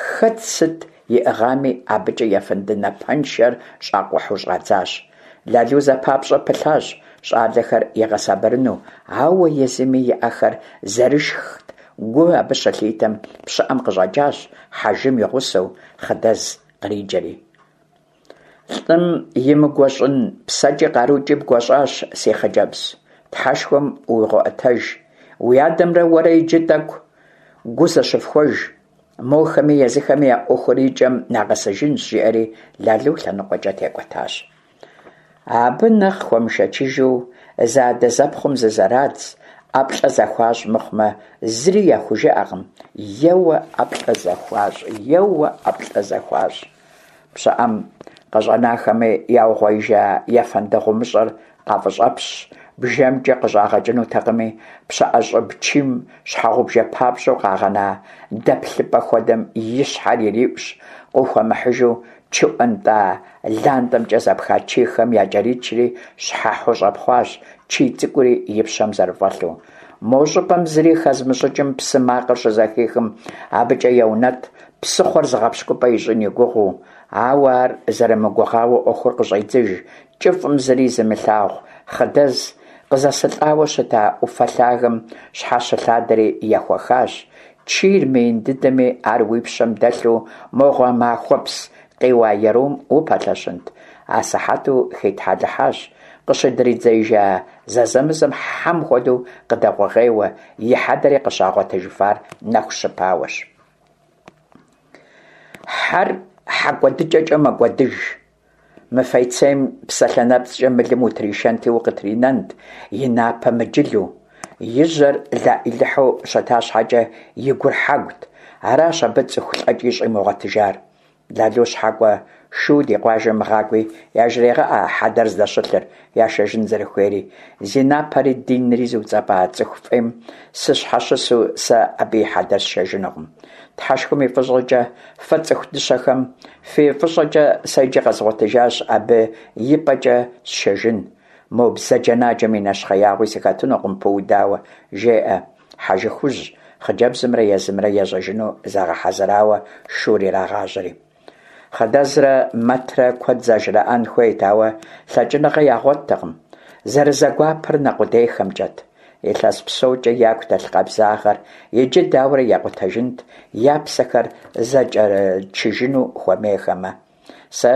хэт сыт иӏыгъами, абыкӏэ ефэнды напэншэр щӏакъухьу щӏадзащ. Лалу зэпапщӏэ пылъащ щӏалэхэр игъэсабырыну, ауэ езыми и ӏэхэр зэрышхт, гу абы щылъитэм пщыӏэм къыщӏэкӏащ хьэжым и гъусэу Хъыдэз къриджэри. Лӏым имыгуэщӏын псэкӏи къарукӏи бгуэщӏащ, си хъыджэбз. Тхьэшхуэм уигъэӏуэтэж. Уи адэмрэ уэрэ иджы тӏэкӏу гу зэщыфхуэж. Мохэми езыхэми я ӏуэхур и кӏэм нагъэсыжынщ, жиӏэри Лалу лъэныкъуэкӏэ текӏуэтащ. Абы нэхъ хуэмышэчыжу зэадэзэпхъум зызэрадз, ӏэплӏэ зэхуащӏ мыхъумэ, зыри яхужыӏэкъым. Еуэ ӏэплӏэ зэхуащӏ, еуэ ӏэплӏэ зэхуащӏ. Пщыӏэм къыщӏэнахэми яугъуеижа ефэнды гъумыщӏэр къафӏыщӏэпщщ, бжэмкӏэ къыщӏагъэкӏынутэкъыми, пщыӏэ щӏыб чийм щхьэгъубжэ папщӏэу къагъэна дэплъыпӏэ хуэдэм и щхьэр ириӏущ, къыхуэмыхьыжу чы ӏуэнтӏа лантӏэмкӏэ зэпха чийхэм якӏэричри, щхьэхьу щӏэпхъуащ, чий цӏыкӏури и пщэм зэрыфӏэлъу. Мо щӏыпӏэм зыри хэзмыщӏыкӏым псы макъыр щызэхихым, абыкӏэ еунэтӏ, псыхъуэр зыгъэпщкӏупӏэ ищӏын и гугъэу. Ауэ ар зэрымыгугъауэ ӏуэхур къыщӏедзыж, кӏыфӏым зыри зымылъагъу Хъыдэз къызэсылӏауэ щыта ӏуфэ лъагэм щхьэщылъадэри ехуэхащ. Чийр мыин дыдэми, ар уи пщэм дэлъу мо гъэмахуэпс къиуа ерум упэлъэщынт. Асыхьэту хитхьэлыхьащ, къыщыдридзеижа зэзэмызэм хьэм хуэдэу къыдэгъуэгъейуэ, и хьэдэри къыщагъуэтыжыфар нэху щыпауэщ. Хьэр хьэ кӏуэдыкӏэкӏэ мэкӏуэдыж. Мы фейцейм псалъэ нэпцӏкӏэ мылым утришэнти укъытринэнт, и напэ мыджылу. И жьэр лаӏилыхьу щыта щхьэкӏэ, и гур хьэгут. Аращ абы цӏыху лӏэкӏи щӏимыгъуэтыжар. Лалу щхьэкӏуэ шу ди къуажэм гъакӏуи яжрегъэӏэ хьэдэр здэщылъыр, яшэжын зэрыхуейри. Зи напэри динри зыуцӏэпӏа цӏыху фӏейм сыщхьэщысу сэ абы и хьэдэр сшэжынукъым. Тхьэшхуэм и фӏыщӏэкӏэ, фэ цӏыху дыщэхэм фи фӏыщӏэкӏэ сэ иджы къэзгъуэтыжащ абы и пӏэкӏэ сшэжын. Мо бзаджэнаджэм и нэщхъеягъуи сыхэтынукъым пыудауэ, жеӏэ Хьэжыхужь, хъыджэбзымрэ езымрэ ежьэжыну загъэхьэзырауэ шур ирагъажьэри. Хъыдэзрэ Мэтрэ куэд зэжраӏэн хуейт, ауэ лъэкӏыныгъэ ягъуэттэкъым. Зэрызэгуапэр нэ къудейхэмкӏэт. Илъэс псокӏэ яку дэлъ къабзагъэр иджы дауэрэ якъутэжынт, я псэхэр зэкӏэрычыжыну хуэмейхэмэ. Сэ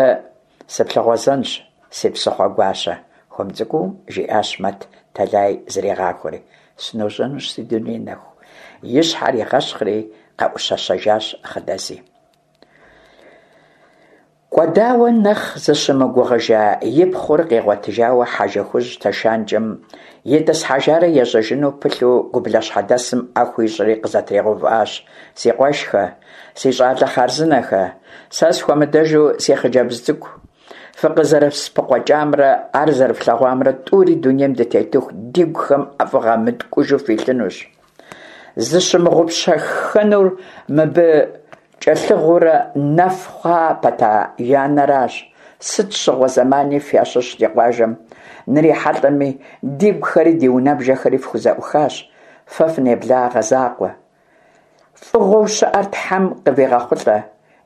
сыплъыгъуэзэнщ, си псыхъуэ гуащэ, хуэм цӏыкӏуу жиӏащ Мэт, тэлай зригъахуэри. Сыножьэнущ, си дуней нэху. И щхьэр игъэщхъри къэӏущэщэжащ Хъыдэзи. Кӏуэдауэ нэхъ зыщымыгугъыжа и пхъур къигъуэтыжауэ Хьэжыхужь тэшанкӏэм итӏысхьэжарэ ежьэжыну пылъу гублащхьэдэсым ӏэ хуищӏри къызэтригъэувыӏащ. Си къуэшхэ, си щӏалэ хъарзынэхэ, сэ схуэмыдэжу си хъыджэбз цӏыкӏу, фыкъызэрыспыкъуэкӏамрэ ар зэрыфлъэгъуамрэ тӏури дунейм дытетыху дигухэм ӏэфӏыгъэ мыткӏужу филъынущ. Зыщымыгъупщэххэнур мыбы кӏэлъыгъыурэ нэф хъуа пэта и анэращ. Сыт щыгъуэ зэмани фящыщ ди къуажэм нрихьэлӏэми, дигухэри ди унэбжэхэри фхузэӏухащ. Фэ фынеблагъэ закъуэ. Фӏыгъуэу щыӏэр Тхьэм къывигъэхъулӏэ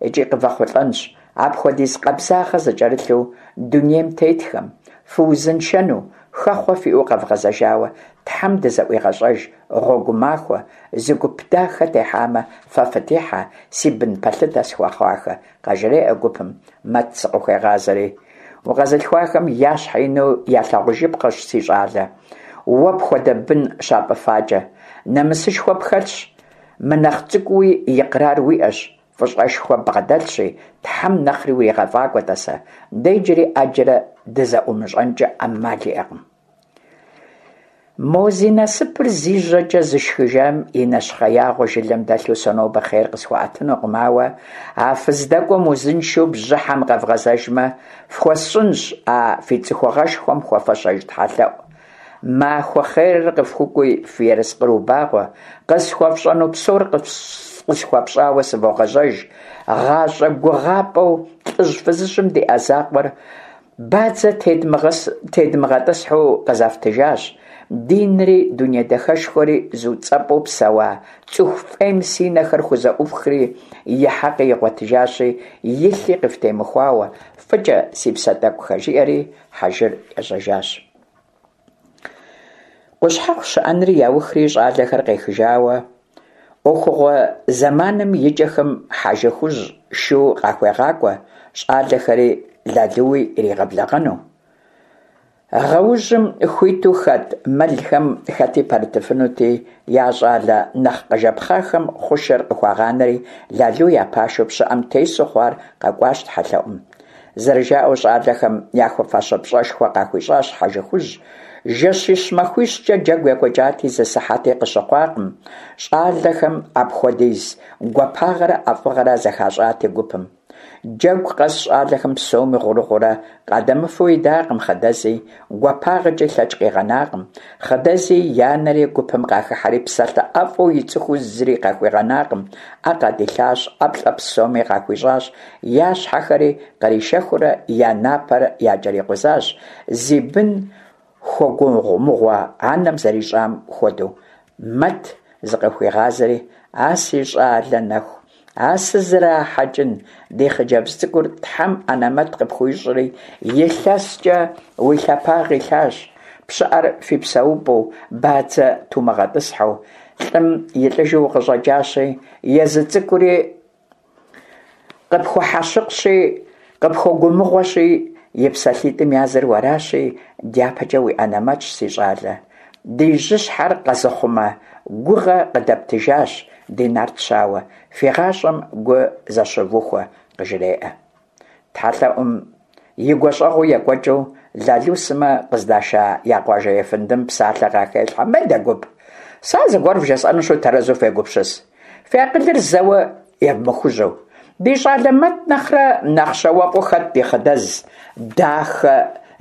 икӏи къывэхъулӏэнщ. Апхуэдиз къабзагъэ зыкӏэрылъу дунейм тетхэм, фыузыншэну, хэхъуэ фиӏэу къэвгъэзэжауэ Тхьэм дызэӏуигъэщӏэж, гъуэгу махуэ, зы гуп дахэ техьамэ, фэ фытехьэ, си бын пэлъытэ схуэхъуахэ, къажреӏэ гупым, Мэт зыкъыхуегъазэри. Укъэзылъхуахэм я щхьэ ину ялъагъужыпхъэщ, си щӏалэ, уэ пхуэдэ бын щапӏыфакӏэ. Нэмысышхуэ пхэлъщ, мынэхъ цӏыкӏууи икърар уиӏэщ, фӏыщӏэшхуэ ббгъэдэлъщи, Тхьэм нэхъри уригъэфӏакӏуэ, тӏасэ, дэ иджыри ӏэджэрэ дызэӏумыщӏэнкӏэ ӏэмал иӏэкъым. Мо зи насыпыр зи жьэкӏэ зышхыжам и нэщхъеягъуэ жылэм дэлъу сэ нобэ хъер къысхуэӏэтынукъым, ауэ а фыздэкӏуэм узыншэу бжьыхьэм къэвгъэзэжмэ, фхуэсщӏынщ а фи цӏыхугъэшхуэм хуэфэщэж тхьэлъэӏу. Махуэ хъерыр къыфхукӏуи, фи ерыскъыр убагъуэ, къысхуэфщӏэну псор къысхуэфщӏауэ сывогъэжьэж, гъащӏэ гугъапӏэу лӏыжь-фызыжьым диӏа закъуэр бадзэ тедмыгъэтӏысхьэу къызэфтыжащ, динри дуней дахэшхуэри зуцӏэпӏу псэуа цӏыху фӏейм си нэхэр хузэӏуфхри, и хьэкъи игъуэтыжащи, и лъи къыфтемыхуауэ, фӏыкӏэ, си псэ тӏэкӏухэ, жиӏэри хьэжыр ежьэжащ. Къущхьэхъу щыӏэнри яухри щӏалэхэр къехыжауэ, ӏуэхугъуэ зэманым и кӏэхэм Хьэжы Хужь шу къахуегъакӏуэ, щӏалэхэри Лалуи иригъэблэгъэну. Гъэужьым хуиту хэт мэлхэм хэти пэрытыфынути, я щӏалэ нэхъ къыжэпхъахэм хъушэр къыхуагъанэри, Лалу я пашэу пщыӏэм тесу хъуар къэкӏуащ тхьэлъэӏум. Зэрыжаӏэу, щӏалэхэм яхуэфащэ пщӏэшхуэ къахуищӏащ Хьэжы Хужь. Жэщищ-махуищкӏэ джэгу екӏуэкӏати, зы сыхьэти къыщыхъуакъым, щӏалэхэм апхуэдиз гуапагъэрэ ӏэфӏыгъэрэ зэхащӏати гупым. Джэгу къэс щӏалэхэм псоми гъурыгъуурэ къадэмыфэу идакъым Хъыдэзи, гуапагъэкӏи лъэкӏ къигъэнакъым. Хъыдэзи и анэри гупым къахыхьэри псалъэ ӏэфӏу ицӏыхуу зыри къахуигъэнакъым, ӏэ къадилъащ, ӏэплӏэ псоми къахуищӏащ, я щхьэхэри къришэхыурэ я напэр якӏэрикъузащ, зи бын хуэгугъумыгъуэ анэм зэрищӏам хуэдэу. Мэт зыкъыхуигъазэри, «А си щӏалэ нэху, а сызэрахьэкӏын, ди хъыджэбз цӏыкӏур Тхьэм анэмэт къыпхуищӏри, илъэскӏэ уи лъэпагъ илъащ, пщыӏэр фи псэупӏэу, бадзэ тумыгъэтӏысхьэу, лӏым и лӏыжу укъыщӏэкӏащи, езы цӏыкӏури къыпхуэхьэщыкъщи, къыпхуэгумыгъуэщи, и псалъитӏым языр уэращи, дяпэкӏэ уи анэмэтщ, си щӏалэ. Ди жьыщхьэр къэзыхъумэ гугъэ къыдэптыжащ, ди нарт щауэ, фи гъащӏэм гу зэщывухуэ, къыжреӏэ. Тхьэлъэӏум и гуащӏэгъуэу екӏуэкӏыу, Лалу сымэ къыздаша я къуажэ ефэндым псалъэ къахелъхьэ: «Мыдэ гуп, сэ зыгуэр вжесӏэнущи, тэрэзу фегупсыс. Фи акъылыр зэуэ евмыхужьэу. Ди щӏалэ Мэт нэхърэ нэхъ щауэфӏу хэт ди Хъыдэз дахэ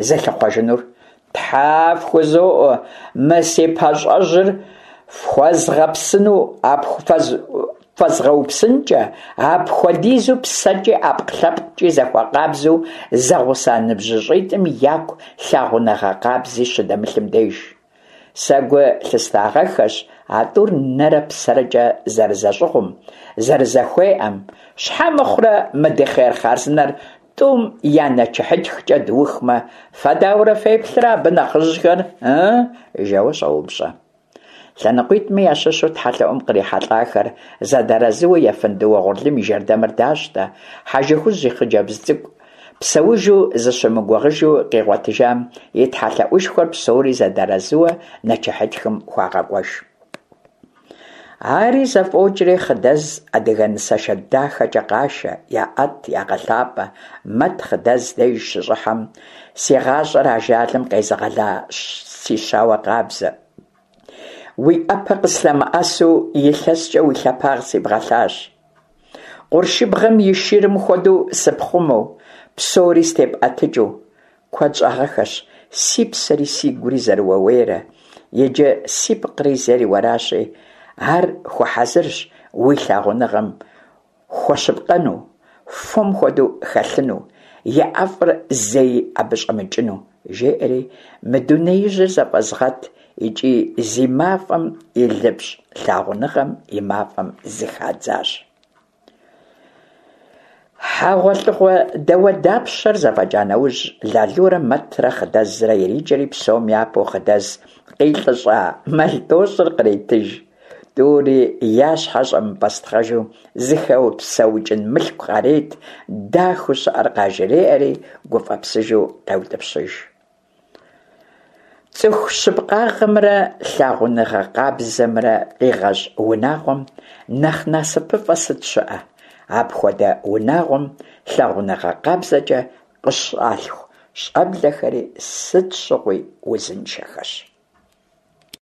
зылъыхъуэжынур? Тхьэ фхузоӏуэ, мы си пащӏэжьыр фхуэзгъэпсыну фэзгъэупсынкӏэ, апхуэдизу псэкӏи ӏэпкълъэпкъкӏи зэхуэкъабзэу зэгъуса ныбжьыщӏитӏым яку лъагъуныгъэ къабзи щыдэмылъым деж. Сэ гу лъыстагъэххэщ а тӏур нэрэ псэрэкӏэ зэрызэщӏыгъум, зэрызэхуеӏэм. Щхьэ мыхъурэ мы ди хъер хъарзынэр тӏум я нэчыхьытхкӏэ дыухмэ, фэ дауэрэ феплърэ абы нэхъыжьхэр, ы?» жэуэ щӏоупщӏэ. Лъэныкъуитӏми ящыщу тхьэлъэӏум кърихьэлӏахэр зэдэарэзыуэ ефэнды Уэгъурлым и жэрдэмыр дащтэ, Хьэжы Хужь и хъыджэбз цӏыкӏу псэужу зыщымыгугъыжу къигъуэтыжам и тхьэлъэӏушхуэр псори зэдэарэзыуэ нэчыхьытхым хуагъэкӏуэж. Ари зэфӏокӏри, Хъыдэз адыгэ нысашэ дахэкӏэ къашэ, яӏэт, ягъэлъапӏэ. Мэт Хъыдэз деж щыщӏыхьэм, «Си гъащӏэр ажалым къезыгъэла си щауэ къабзэ, уи ӏэпэ къыслъэмыӏэсу илъэскӏэ уи лъэпагъ сибгъэлъащ. Къуршыбгъэм и шырым хуэдэу сыпхъумэу, псори степӏэтыкӏыу. Куэд щӏагъэххэщ си псэри сигури зэрыуэуейрэ, иджы сипкъри зейр уэращи, ар хуэхьэзырщ уи лъагъуныгъэм хуэщыпкъэну, фом хуэдэу хэлъыну, и ӏэфӏыр зэи абы щӏэмыкӏыну», жеӏэри, мы дунеижьыр зэфӏэзгъэт икӏи зи мафӏэм илыпщӏ лъагъуныгъэм и мафӏэм зыхадзащ. ХьэгъуэлӀыгъуэ дауэдапщэр зэфӀэкӀа нэужь, Лалурэ Мэтрэ Хъыдэзрэ иреджэри псом япэу Хъыдэз къилӀыщӀа мэл тӀощӀыр къретыж, тӀури я щхьэ щӀэмыпӀэстхъэжу зыхэпсэукӀын мылъку къарет, дахэу щыӀэр къажреӀэри гуфӀэпсыжу къеутӀыпщыж. Цӏыху щыпкъагъэмрэ лъагъуныгъэ къабзэмрэ къигъэщӀ унагъуэм нэхъ насыпыфӀэ сыт щыӀэ? Апхуэдэ унагъуэм лъагъуныгъэ къабзэкӀэ къыщалъху щӀэблэхэри сыт щыгъуи узыншэхэщ.